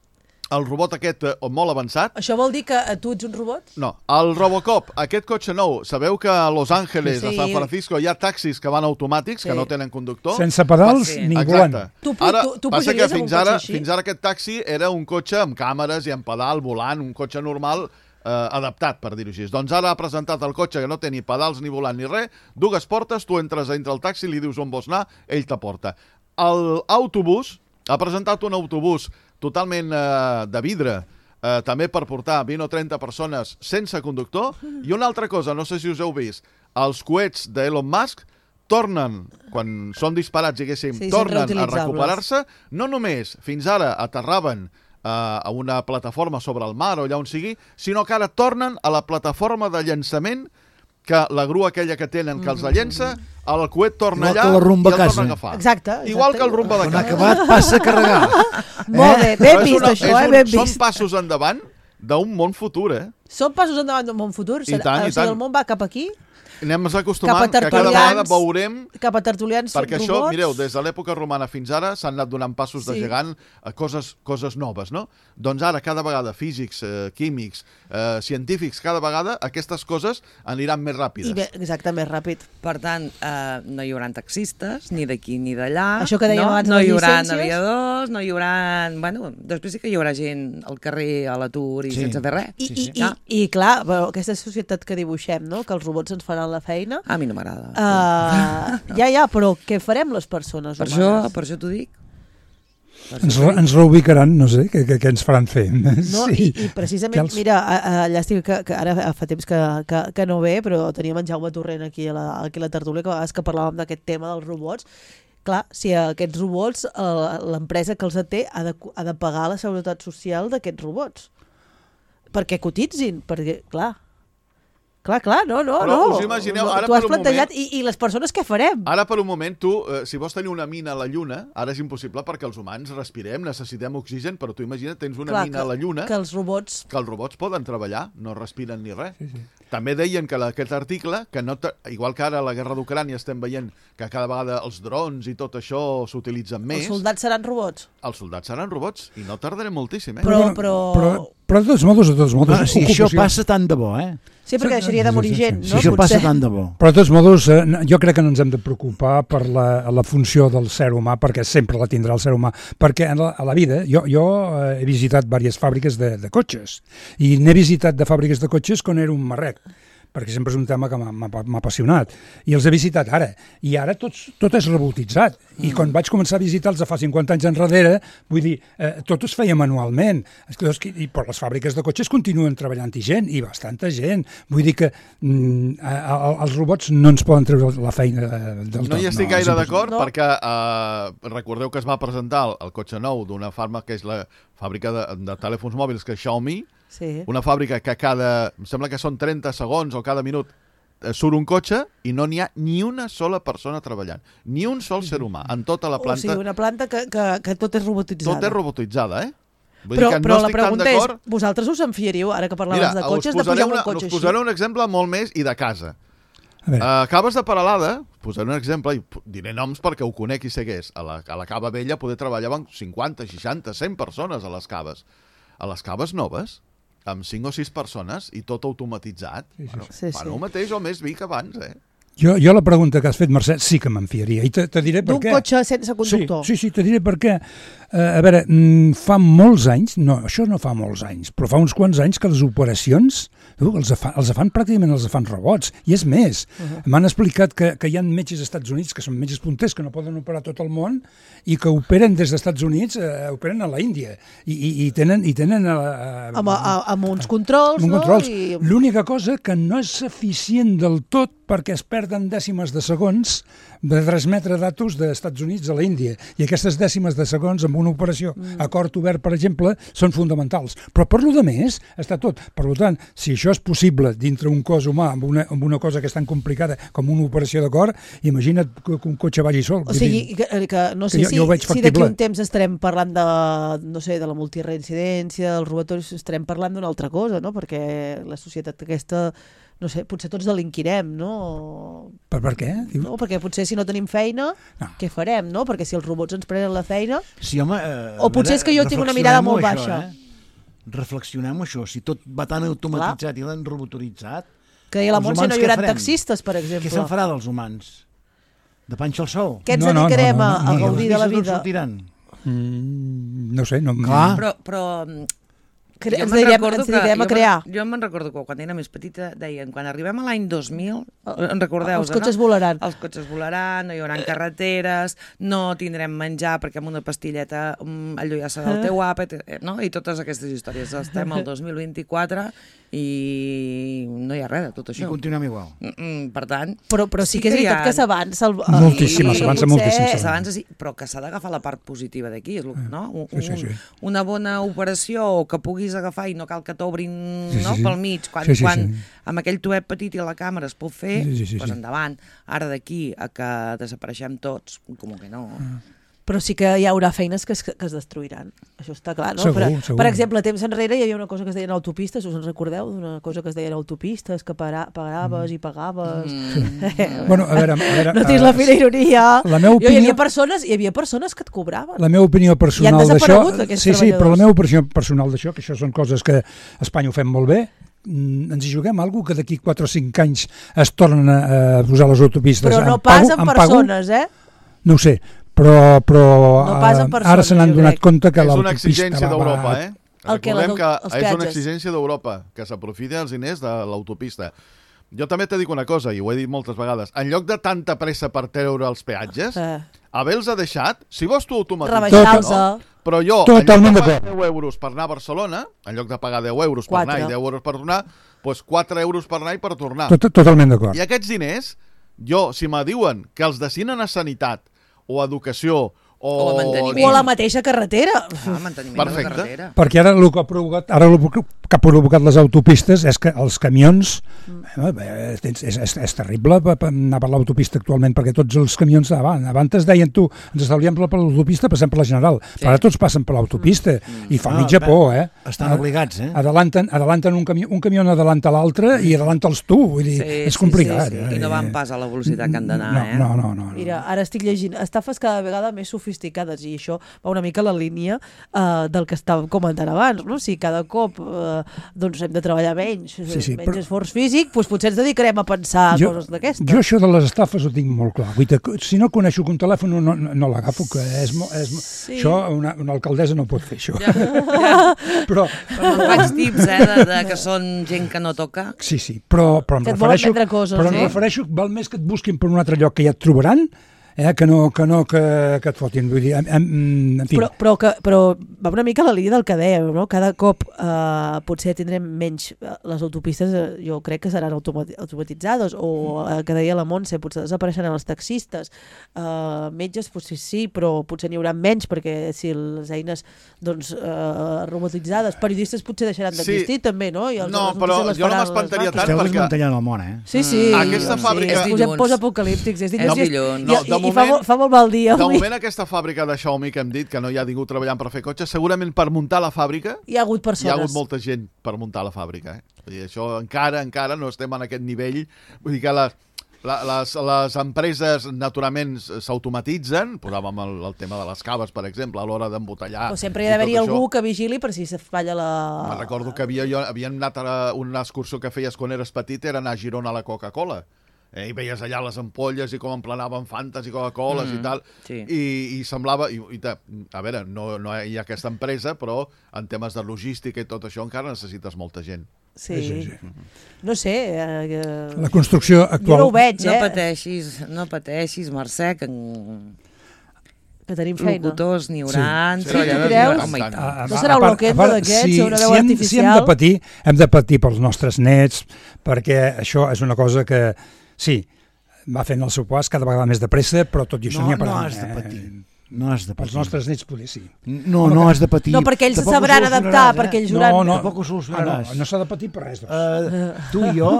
S5: el robot aquest eh, molt avançat.
S2: Això vol dir que tu ets un robot?
S5: No. El Robocop, aquest cotxe nou, sabeu que a Los Ángeles, sí. a San Francisco, hi ha taxis que van automàtics, sí. que no tenen conductor?
S6: Sense pedals sí. ni volant.
S2: Tu,
S5: ara,
S2: tu, tu
S5: passa que fins ara,
S2: així?
S5: fins ara aquest taxi era un cotxe amb càmeres i amb pedal, volant, un cotxe normal eh, adaptat, per dir-ho així. Doncs ara ha presentat el cotxe que no té ni pedals, ni volant, ni res, dues portes, tu entres dintre el taxi, li dius on vols anar, ell t'aporta. L'autobús, ha presentat un autobús totalment eh, de vidre, eh, també per portar vint o trenta persones sense conductor. I una altra cosa, no sé si us heu vist, els coets d'Elon Musk tornen, quan són disparats, diguéssim, sí, tornen a recuperar-se. No només fins ara aterraven eh, a una plataforma sobre el mar o allà on sigui, sinó que ara tornen a la plataforma de llançament, que la grua aquella que tenen que els llença, el coet torna allà i el torna a agafar.
S2: Exacte, exacte.
S5: Igual que el rumba de casa.
S3: Quan ha acabat, passa a carregar.
S2: Molt bé, ben vist una, això, eh? Ben vist.
S5: Són passos endavant d'un món futur, eh?
S2: Són passos endavant d'un món futur?
S5: I tant, i tant.
S2: O sigui, el món va cap aquí?
S5: Anem acostumant que cada vegada veurem...
S2: Cap a tertulians
S5: perquè
S2: robots.
S5: Això, mireu, des de l'època romana fins ara s'han anat donant passos sí. de gegant a coses, coses noves, no? Doncs ara, cada vegada, físics, eh, químics, eh, científics, cada vegada aquestes coses aniran més ràpides.
S2: I bé, exacte, més ràpid.
S4: Per tant, eh, no hi haurà taxistes, ni d'aquí ni d'allà.
S2: Això que dèiem
S4: no?
S2: abans,
S4: no
S2: les
S4: hi haurà
S2: llicències.
S4: aviadors, no hi haurà... Bueno, després sí que hi haurà gent al carrer, a l'atur i sí. sense fer res.
S2: I, sí, sí. I, i, i clar, però aquesta societat que dibuixem, no? Que els robots ens faran la feina...
S4: A mi no m'agrada.
S2: Uh, ja, ja, però què farem les persones
S4: per
S2: humanes?
S4: Això, per això t'ho dic.
S6: Ens, ens reubicaran, no sé, què, què ens faran fer.
S2: No,
S6: sí.
S2: i, i precisament, els... mira, allà estic, que, que ara fa temps que, que, que no ve, però teníem en Jaume Torrent aquí a la, aquí a la tertúlia, que a vegades que parlàvem d'aquest tema dels robots. Clar, si aquests robots, l'empresa que els té ha de, ha de pagar la seguretat social d'aquests robots. Perquè cotitzin, perquè, clar... Clar, clar, no, no,
S5: però
S2: no.
S5: Us imagineu, ara
S2: tu has
S5: per un
S2: plantejat,
S5: moment...
S2: i, i les persones què farem?
S5: Ara per un moment, tu, eh, si vols tenir una mina a la Lluna, ara és impossible perquè els humans respirem, necessitem oxigen, però tu imagina't, tens una
S2: clar,
S5: mina
S2: que,
S5: a la Lluna...
S2: Que els robots...
S5: Que els robots poden treballar, no respiren ni res. Sí, sí. També deien que la, aquest article, que no igual que ara a la guerra d'Ucrània estem veient que cada vegada els drons i tot això s'utilitzen més...
S2: Els soldats seran robots?
S5: Els soldats seran robots, i no tardarem moltíssim, eh?
S2: Però... però...
S6: però... Però de tots modos, de tots modos...
S3: No, si ocupació... això passa tant de bo, eh?
S2: Sí, perquè deixaria de morir gent, no?
S3: Si això passa tant de bo.
S6: Però de tots modos, eh, jo crec que no ens hem de preocupar per la, la funció del ser humà, perquè sempre la tindrà el ser humà. Perquè en la, a la vida, jo, jo he visitat diverses fàbriques de, de cotxes, i n'he visitat de fàbriques de cotxes quan era un marrec, perquè sempre és un tema que m'ha apassionat, i els he visitat ara, i ara tots, tot és robotitzat, i quan vaig començar a visitar-los fa cinquanta anys enrere, vull dir, eh, tot es feia manualment, i per les fàbriques de cotxes continuen treballant-hi gent, i bastanta gent, vull dir que mm, els robots no ens poden treure la feina del tot.
S5: No hi estic no, gaire d'acord, no. perquè eh, recordeu que es va presentar el, el cotxe nou d'una farma que és la fàbrica de, de telèfons mòbils, que és Xiaomi,
S2: Sí.
S5: Una fàbrica que cada, em sembla que són trenta segons o cada minut surt un cotxe i no n'hi ha ni una sola persona treballant. Ni un sol ser humà en tota la planta.
S2: O sigui, una planta que, que, que tot és robotitzada.
S5: Tot és robotitzada, eh? Vull
S2: però
S5: dir que
S2: però
S5: no
S2: la pregunta és, vosaltres us en fiaríeu, ara que parlaves
S5: Mira,
S2: de cotxes,
S5: de
S2: pujar
S5: una,
S2: un cotxe
S5: així?
S2: així?
S5: Us posaré un exemple molt més i de casa. Uh, Caves de Peralada, posaré un exemple, i diré noms perquè ho conec i sé què és. A la, a la Cava Vella poder treballaven cinquanta, seixanta, cent persones a les caves. A les caves noves, amb cinc o sis persones i tot automatitzat. Sí, sí, bueno, sí, sí. El mateix o més vi que abans, eh?
S6: Jo, jo la pregunta que has fet, Mercè, sí que me'n fiaria. I te, te diré per què.
S2: D'un cotxe sense conductor.
S6: Sí, sí, sí, te diré per què. Uh, a veure, mm, fa molts anys, no, això no fa molts anys, però fa uns quants anys que les operacions tu, els, fan, els fan pràcticament els fan robots. I és més, uh-huh. m'han explicat que, que hi ha metges als Estats Units que són metges punters, que no poden operar tot el món i que operen des dels Estats Units, eh, operen a la Índia. I, i, i tenen... I tenen a, a,
S2: amb, a, amb uns controls,
S6: amb
S2: no?
S6: Controls.
S2: I...
S6: L'única cosa que no és eficient del tot perquè es perden dècimes de segons de transmetre datos dels Estats Units a la Índia. I aquestes dècimes de segons amb una operació mm. a cor obert, per exemple, són fonamentals. Però per lo de més està tot. Per tant, si això és possible dintre un cos humà amb una, amb una cosa que és tan complicada com una operació de cor, imagina't que un cotxe vagi sol.
S2: O sigui, que, que no sé que jo, si, jo si d'aquí un temps estarem parlant de, no sé, de la multireincidència, dels robatoris, estarem parlant d'una altra cosa, no? Perquè la societat aquesta... no sé, potser tots delinquirem, no?
S6: Per, per què?
S2: No, perquè potser si no tenim feina, no. què farem, no? Perquè si els robots ens prenen la feina...
S3: Sí, home... Eh,
S2: o potser és que jo tinc una mirada molt això, baixa.
S3: Eh? Reflexionem això, si tot va tan automatitzat Clar. I l'han robotoritzat...
S2: Que a la Montse no hi haurà taxistes, per exemple.
S3: Què se'n farà dels humans? De panxa al sou?
S2: Què ens no, dedicarem no, no, no, no, a gaudir de la vida?
S6: Mm, no sé, no...
S5: Clar.
S4: Però... però...
S2: Cre ens direm, ens direm a crear.
S4: Jo me'n recordo que quan era més petita deien, quan arribem a l'any dos mil, en recordeu?
S2: Els cotxes no? volaran.
S4: Els cotxes volaran, no hi haurà carreteres, no tindrem menjar perquè amb una pastilleta um, allò ja serà el teu àpat, no? I totes aquestes històries. Estem al dos mil vint-i-quatre i no hi ha res de tot això.
S3: I continuem igual.
S4: Mm, per tant...
S2: Però, però sí, sí que és veritat que, ha... que s'avança. El...
S6: Moltíssim, s'avança moltíssim.
S4: S'avança, sí, però que s'ha d'agafar la part positiva d'aquí, no? Un, sí, sí, sí. Una bona operació que puguis agafar i no cal que t'obrin sí, sí, no, sí. pel mig, quan, sí, sí, quan sí. amb aquell tuet petit i la càmera es pot fer, sí, sí, sí, doncs endavant. Ara d'aquí a que desapareixem tots, com que no...
S2: Ah. Però sí que hi haurà feines que es, que es destruiran. Això està clar, no?
S6: Segur,
S2: per,
S6: segur.
S2: per exemple, temps enrere hi havia una cosa que es deien autopistes, us en recordeu? Una cosa que es deien autopistes, que para, pagaves mm. i pagaves...
S6: Mm. bueno, a veure, a veure,
S2: no tens la fina ironia.
S6: La meva opinió...
S2: Hi havia persones, hi havia persones que et cobraven.
S6: La meva opinió personal d'això... Sí, sí, però la meva opinió personal d'això, que això són coses que a Espanya ho fem molt bé, ens hi juguem alguna cosa que d'aquí quatre o cinc anys es tornen a posar les autopistes.
S2: Però no pas en persones, eh?
S6: No ho sé, però, però
S2: no persones,
S6: ara se n'han donat compte que
S5: l'autopista...
S6: És una
S5: exigència d'Europa, eh?
S2: El que
S5: Recordem que, que és una exigència d'Europa, que s'aprofiti els diners de l'autopista. Jo també te dic una cosa, i ho he dit moltes vegades, en lloc de tanta pressa per treure els peatges, eh. haver-los deixat, si vols tu automatitzar...
S2: Rebaixar-los.
S5: No? Però jo,
S6: Totalment
S5: en lloc de pagar deu euros per anar a Barcelona, en lloc de pagar deu euros per anar i deu euros per tornar, doncs quatre euros per anar i per tornar.
S6: Tot, totalment d'acord.
S5: I aquests diners, jo, si me diuen que els destinen a sanitat o a educació o,
S4: o, a
S2: o a la mateixa carretera.
S4: Ah, manteniment de la carretera.
S6: Perquè ara el que ha provocat, ara el que ha provocat les autopistes és que els camions, mm. eh, és, és, és terrible anar per l'autopista actualment, perquè tots els camions davant, abans deien tu, ens estalviem per l'autopista, passem per la General, sí. però ara tots passen per l'autopista mm. i fa no, mitja por, eh?
S3: Estan obligats, eh?
S6: Adelanten, adelanten un camió, un camió adelanta l'altre i adelanta'ls tu, vull dir,
S4: sí,
S6: és complicat.
S4: Sí, sí, sí. I no van pas a la velocitat que han d'anar,
S6: no,
S4: eh?
S6: No, no, no, no.
S2: Mira, ara estic llegint estafes cada vegada més sofisticades i això va una mica a la línia uh, del que estàvem comentant abans, no? Si cada cop uh, doncs hem de treballar menys, sí, sí, menys però... esforç físic, doncs potser ens dedicarem a pensar jo, coses d'aquestes.
S6: Jo això de les estafes ho tinc molt clar. Vull dir, si no coneixo un telèfon no, no, no l'agafo, que és, és, sí. això una, una alcaldessa no pot fer, això.
S4: Ja, ja. Però... però faig tips, eh, de, de que són gent que no toca.
S6: Sí, sí, però, però em
S2: que
S6: refereixo,
S2: coses,
S6: però em
S2: sí?
S6: refereixo, val més que et busquin per un altre lloc que ja et trobaran, eh, que no, que, no que, que et fotin. Vull dir, en, en fi.
S2: Però, però, que, però va una mica a la línia del que dèiem, no? Cada cop eh, potser tindrem menys, les autopistes eh, jo crec que seran automatitzades, o eh, que deia la Montse, potser desapareixeran els taxistes, eh, metges potser sí, però potser n'hi haurà menys, perquè si les eines doncs, eh, robotitzades, periodistes potser deixaran d'existir sí. també, no? I els,
S5: no, però jo no m'espantaria tant
S3: Esteu
S5: perquè...
S3: desmantellant el món, eh?
S2: Sí, sí.
S5: Aquesta
S2: sí.
S5: fàbrica...
S2: És dilluns. Post-apocalíptics, és dilluns.
S5: No,
S2: I,
S5: no,
S2: i, i, i fa, fa molt mal dia.
S5: De
S2: avui.
S5: moment aquesta fàbrica de Xiaomi que hem dit, que no hi ha ningú treballant per fer cotxes, segurament per muntar la fàbrica...
S2: Hi ha hagut persones.
S5: Hi ha hagut molta gent per muntar la fàbrica, eh? Vull dir, això encara, encara no estem en aquest nivell. Vull dir que la... La, les, les empreses, naturalment, s'automatitzen. Posàvem el, el tema de les caves, per exemple, a l'hora d'embotellar.
S2: Però sempre hi ha d'haver-hi algú que vigili per si se falla la...
S5: Me recordo que havia, jo, havia anat a una excursió que feies quan eres petit, era anar a Girona a la Coca-Cola. Eh, I veies allà les ampolles i com emplanaven Fantes i Coca-Coles mm, i tal. Sí. I, I semblava... I, i ta, a veure, no, no hi ha aquesta empresa, però en temes de logística i tot això encara necessites molta gent.
S2: Sí, sí, sí. No sé... Eh,
S6: la construcció actual...
S2: Jo no ho veig, eh?
S4: No pateixis, no pateixis, Mercè, que...
S2: que tenim feina.
S4: Locutors n'hi haurà,
S2: sí. treballadors n'hi haurà. No serà un loquendo d'aquests,
S6: si,
S2: o una veu
S6: si hem,
S2: artificial?
S6: Si hem de patir, hem de patir pels nostres nets, perquè això és una cosa que, sí, va fent el seu pas cada vegada més de pressa, però tot i això
S3: no,
S6: n'hi ha per
S3: no has de patir. Eh? No has de patir.
S6: Els nostres nets poder sí.
S3: No, no has de patir.
S2: No, perquè ells se sabran adaptar, eh? perquè ells juran...
S3: No, no. Tampoc ho solucionaràs.
S6: Ah, no no s'ha de patir per res. Doncs.
S3: Uh, tu i jo,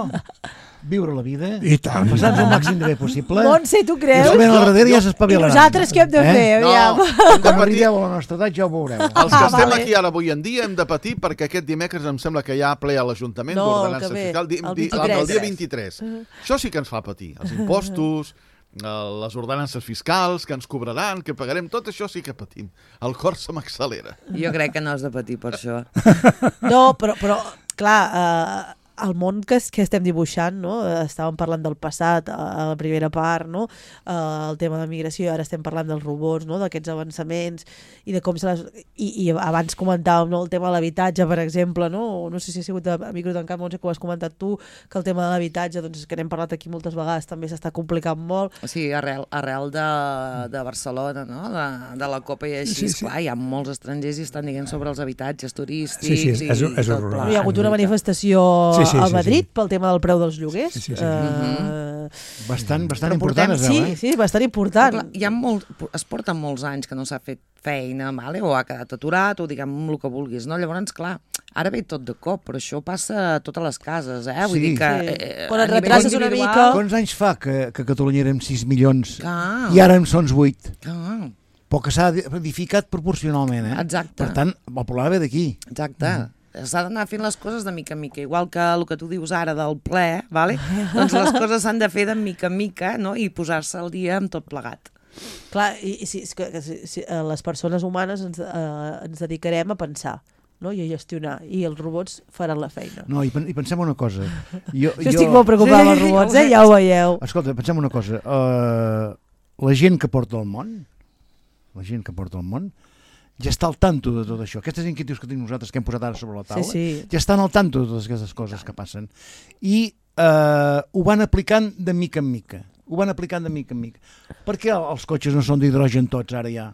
S3: viure la vida,
S6: i tant.
S3: passar-nos el màxim de bé possible.
S2: Montse, tu creus?
S3: I al darrere ja s'espavilaran.
S2: I nosaltres què hem de fer?
S5: Eh? No,
S3: quan arribeu a la nostra edat ja ho veureu.
S5: Els que ah, estem vale. aquí ara avui en dia hem de patir perquè aquest dimecres em sembla que hi ha ple a l'Ajuntament
S2: no,
S5: d'Ordenança Fiscal, di, di, el, el dia vint-i-tres. Uh. Això sí que ens fa patir. Els impostos... les ordenances fiscals que ens cobraran, que pagarem, tot això sí que patim. El cor se m'accelera.
S4: Jo crec que no has de patir per això.
S2: No, però, però clar, eh, el món que, que estem dibuixant, no? Estàvem parlant del passat a la primera part, no? Eh, el tema de migració, ara estem parlant dels robots, no? D'aquests avançaments i de com se les... I, i abans comentàvem, no? El tema de l'habitatge, per exemple, no? No sé si ha sigut a micro tancat, Montse, que ho has comentat tu, que el tema de l'habitatge, doncs que n'hem parlat aquí moltes vegades, també s'està complicant molt.
S4: Sí, arrel, arrel de, de Barcelona, no? De, de la Copa i així, sí, sí. Clar, hi ha molts estrangers i estan dient sobre els habitatges turístics sí, sí, és,
S6: és,
S4: i,
S6: és
S4: i tot pla.
S2: Hi ha hagut una manifestació sí, sí, a Madrid sí, sí. pel tema del preu dels lloguers.
S6: Sí, sí, sí.
S2: Uh,
S3: bastant bastant
S2: important,
S3: es
S2: veu,
S3: eh?
S2: Sí, sí, bastant important.
S4: Clar, hi ha molt, es porten molts anys que no s'ha fet feina, vale? O ha quedat aturat, o diguem el que vulguis, no? Llavors, clar, ara ve tot de cop, però això passa a totes les cases, eh? Vull
S3: sí.
S4: dir que...
S2: Sí.
S4: Eh,
S2: Quan et retraces una mica...
S3: Quants anys fa que, que a Catalunya érem sis milions
S4: ah.
S3: i ara en són vuit?
S4: Ah.
S3: Però que s'ha edificat proporcionalment, eh?
S4: Exacte.
S3: Per tant, el problema ve d'aquí.
S4: Exacte. Mm. S'ha d'anar fent les coses de mica en mica, igual que el que tu dius ara del ple, vale? Doncs les coses s'han de fer de mica en mica, no? I posar-se al dia amb tot plegat.
S2: Clar, i, i si, que, si, si les persones humanes ens, eh, ens dedicarem a pensar, no? I a gestionar, i els robots faran la feina.
S3: No, i, i pensem una cosa. Jo,
S2: jo estic molt preocupada amb els robots, eh? Ja ho veieu.
S3: Escolta, pensem una cosa. Uh, la gent que porta el món, la gent que porta el món, ja està al tanto de tot això. Aquestes inquietuds que tenim nosaltres, que hem posat ara sobre la taula,
S2: sí, sí.
S3: ja estan al tanto de totes aquestes coses que passen. I eh, ho van aplicant de mica en mica. Ho van aplicant de mica en mica. Per què els cotxes no són d'hidrogen tots ara ja?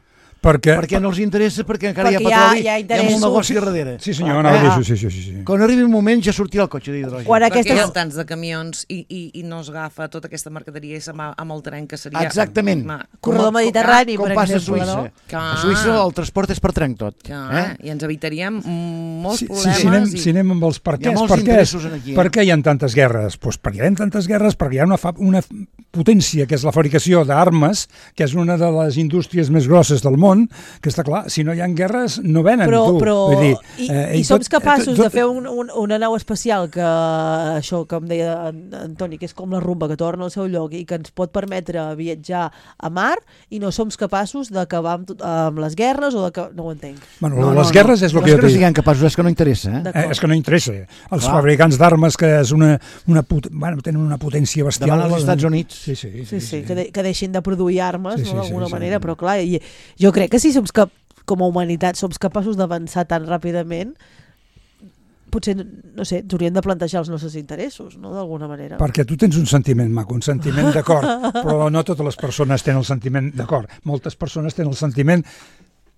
S6: Perquè,
S3: perquè no els interessa, perquè encara
S2: perquè
S3: hi ha petroli,
S2: hi ha, hi ha,
S3: hi ha molt negoci darrere.
S6: Sí senyor, no, eh? sí, sí, sí, sí.
S3: Quan arribi un moment ja sortirà el cotxe d'hidrogen.
S4: Quan aquestes... Perquè hi ha tants de camions i, i, i no es agafa tota aquesta mercaderia i se'n va amb el tren que seria...
S3: Exactament.
S4: Ma,
S2: corredor mediterrani,
S3: com,
S2: per
S3: com passa
S2: exemple.
S3: A Suïssa.
S2: No?
S3: A Suïssa el transport és per trenc tot.
S4: Eh? I ens evitaríem molts
S6: sí,
S4: problemes.
S6: Sí, si anem,
S4: i...
S6: si anem amb els perquès,
S3: hi ha molts
S6: per
S3: interessos aquí. Eh?
S6: Per què hi ha tantes guerres? Pues perquè hi ha tantes guerres, perquè hi ha una, fa, una potència, que és la fabricació d'armes, que és una de les indústries més grosses del món, que està clar, si no hi ha guerres no venen,
S2: però,
S6: tu.
S2: Però,
S6: Vull dir,
S2: i,
S6: eh,
S2: i, i som capaços
S6: tot, tot,
S2: de fer un, un, una nau espacial que, això que em deia Antoni, que és com la rumba, que torna al seu lloc i que ens pot permetre viatjar a mar, i no som capaços d'acabar amb, amb les guerres o de que... No ho entenc.
S6: Bueno,
S3: no,
S6: les
S3: no,
S6: guerres
S3: no,
S6: és el
S3: no
S6: que
S3: és
S6: jo
S3: que no
S6: dic.
S3: siguem capaços, és que no interessa. Eh?
S6: Eh, és que no interessa. Els
S3: Clar.
S6: fabricants d'armes, que és una, una put... bueno, tenen una potència bestial.
S3: Davant els Estats Units.
S6: Sí, sí. sí,
S2: sí, sí,
S6: sí.
S2: Que, de, que deixin de produir armes,
S6: sí, sí,
S2: no, d'alguna
S6: sí, sí,
S2: manera,
S6: sí.
S2: però clar, i, jo crec que si som cap com a humanitat som capaços d'avançar tan ràpidament, potser, no sé, ens hauríem de plantejar els nostres interessos, no?, d'alguna manera.
S6: Perquè tu tens un sentiment maco, un sentiment d'acord, però no totes les persones tenen el sentiment d'acord. Moltes persones tenen el sentiment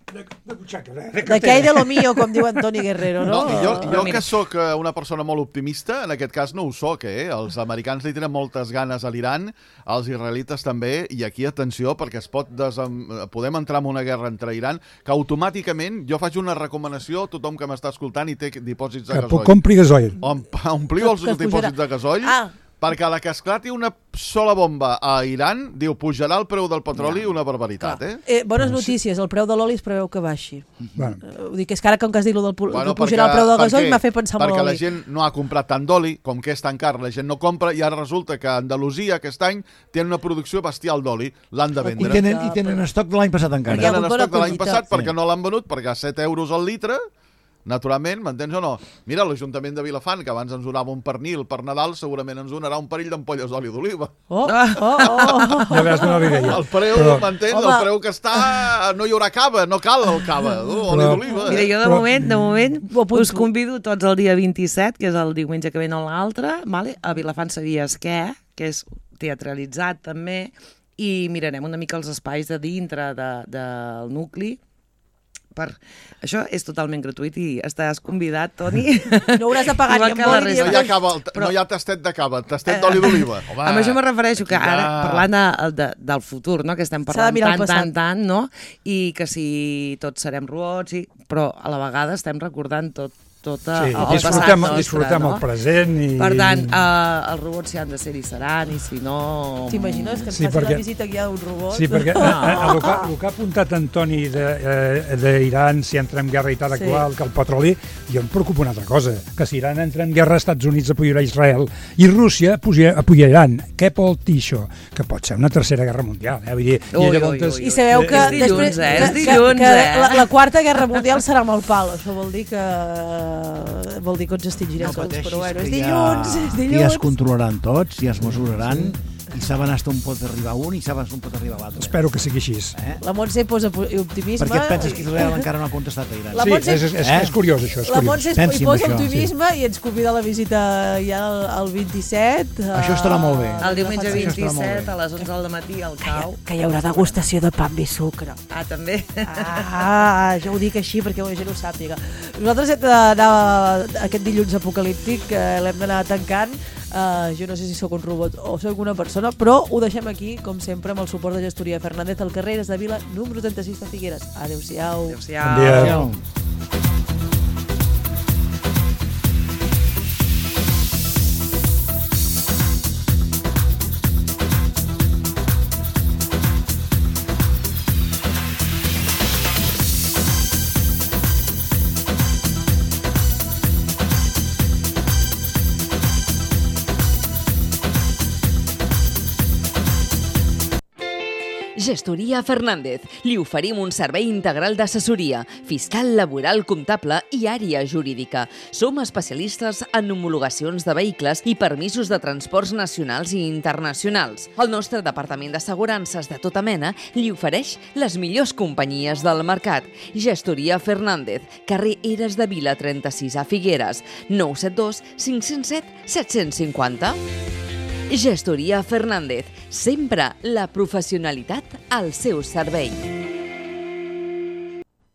S6: de, de butxaca, de, de
S2: d'aquell de lo mío, com diu Antoni Guerrero, no?
S5: no jo, jo que sóc una persona molt optimista, en aquest cas no ho soc, eh? Els americans li tenen moltes ganes a l'Iran, els israelites també, i aquí atenció, perquè es pot desem... podem entrar en una guerra entre Iran, que automàticament jo faig una recomanació a tothom que m'està escoltant i té dipòsits de gasoll.
S6: Que compri gasoll.
S5: Om, ompliu els dipòsits de gasoll, ah. perquè a la que esclati una sola bomba a Iran, diu, pujarà el preu del petroli una barbaritat, eh?
S2: eh? Bones notícies, el preu de l'oli es preveu que baixi. Bueno. Uh, ho dic, és que ara com que has dit el del bueno, que pujarà perquè, el preu del gasoll m'ha fet pensar molt
S5: perquè
S2: l'oli.
S5: Perquè la gent no ha comprat tant d'oli, com que és tan car, la gent no compra, i ara resulta que Andalusia aquest any té una producció bestial d'oli, l'han de vendre.
S3: I tenen, i tenen estoc de l'any passat encara.
S5: I tenen estoc de l'any passat perquè sí. no l'han venut, perquè a set euros al litre, naturalment, m'entens o no? Mira, l'Ajuntament de Vilafant, que abans ens donava un pernil per Nadal, segurament ens donarà un parell d'ampolles d'oli d'oliva.
S2: Oh, oh, oh.
S6: Ja veus una idea.
S5: El preu, però... m'entens? El preu que està... No hi haurà cava, no cal el cava, no? Oli però... d'oliva.
S4: Mira, jo de però... moment, de moment, us convido tots el dia vint-i-set, que és el diumenge que ve no l'altre, vale? A Vilafant Sabies Què, que és teatralitzat també, i mirarem una mica els espais de dintre de, del nucli. Per... Això és totalment gratuït i estàs convidat, Toni.
S2: No hauràs de pagar ni amb boli.
S5: No hi ha, cava, però... no hi ha tastet de cava, tastet d'oli d'oliva.
S4: Amb això me refereixo que ara, parlant de, de, del futur, no? Que estem parlant tant, tant, tant, no? I que si tots serem robots, i... però a la vegada estem recordant tot tota
S6: sí,
S4: el
S6: disfrutem,
S4: passat nostre,
S6: disfrutem
S4: no?
S6: el present i...
S4: Per tant, uh, els robots si han de ser i seran, i si no...
S2: T'imagines que ens
S6: sí,
S2: faci
S6: perquè...
S2: una visita aquí a un robot?
S6: Sí, perquè no. el, que, el que ha apuntat Antoni d'Iran, si entra en guerra i tal, sí. actual, que el petroli, jo em preocupa una altra cosa, que si Iran entra en guerra, Estats Units apoyarà Israel i Rússia apoyarà Iran. Què pot dir això? Que pot ser una tercera guerra mundial. Eh? Vull dir,
S4: ui, i, ui, ui,
S2: I sabeu que,
S4: és dilluns,
S2: després,
S4: eh?
S2: que,
S4: És dilluns,
S2: que,
S4: eh?
S2: que la, la quarta guerra mundial serà amb el pal. Això vol dir que vol dir que ens extingirem
S3: no
S2: tots, però bueno, és
S3: dilluns,
S2: ja, és dilluns.
S3: Ja es controlaran tots, ja es mesuraran, sí. i saben hasta on pot arribar un i saben on pot arribar l'altre.
S6: Espero que sigui així.
S2: Eh? La Montse posa optimisme.
S3: Per què et penses que Israel encara no ha contestat a Iran?
S6: La Montse, sí, és, és, eh? és curiós això. És
S2: la
S6: curiós.
S2: Montse hi posa optimisme sí. i ens convida a la visita ja el, el vint-i-set.
S3: Això estarà molt bé.
S4: El diumenge vint-i-set a les onze del matí al Cau.
S2: Que, que hi haurà degustació de pa amb sucre.
S4: Ah, també?
S2: Ah, jo ho dic així perquè la gent ho sàpiga. Nosaltres hem d'anar aquest dilluns apocalíptic, eh, l'hem d'anar tancant. Uh, jo no sé si sóc un robot o sóc una persona, però ho deixem aquí, com sempre, amb el suport de Gestoria Fernández al carrer de Vila, número trenta-sis de Figueres. Adéu-siau.
S4: Adéu-siau.
S6: Bon dia. Adéu.
S1: Gestoria Fernández. Li oferim un servei integral d'assessoria, fiscal, laboral, comptable i àrea jurídica. Som especialistes en homologacions de vehicles i permisos de transports nacionals i internacionals. El nostre departament d'assegurances de tota mena li ofereix les millors companyies del mercat. Gestoria Fernández, carrer Eres de Vila trenta-sis a Figueres, nou set dos cinc zero set set cinc zero. Gestoria Fernández, sempre la professionalitat al seu servei.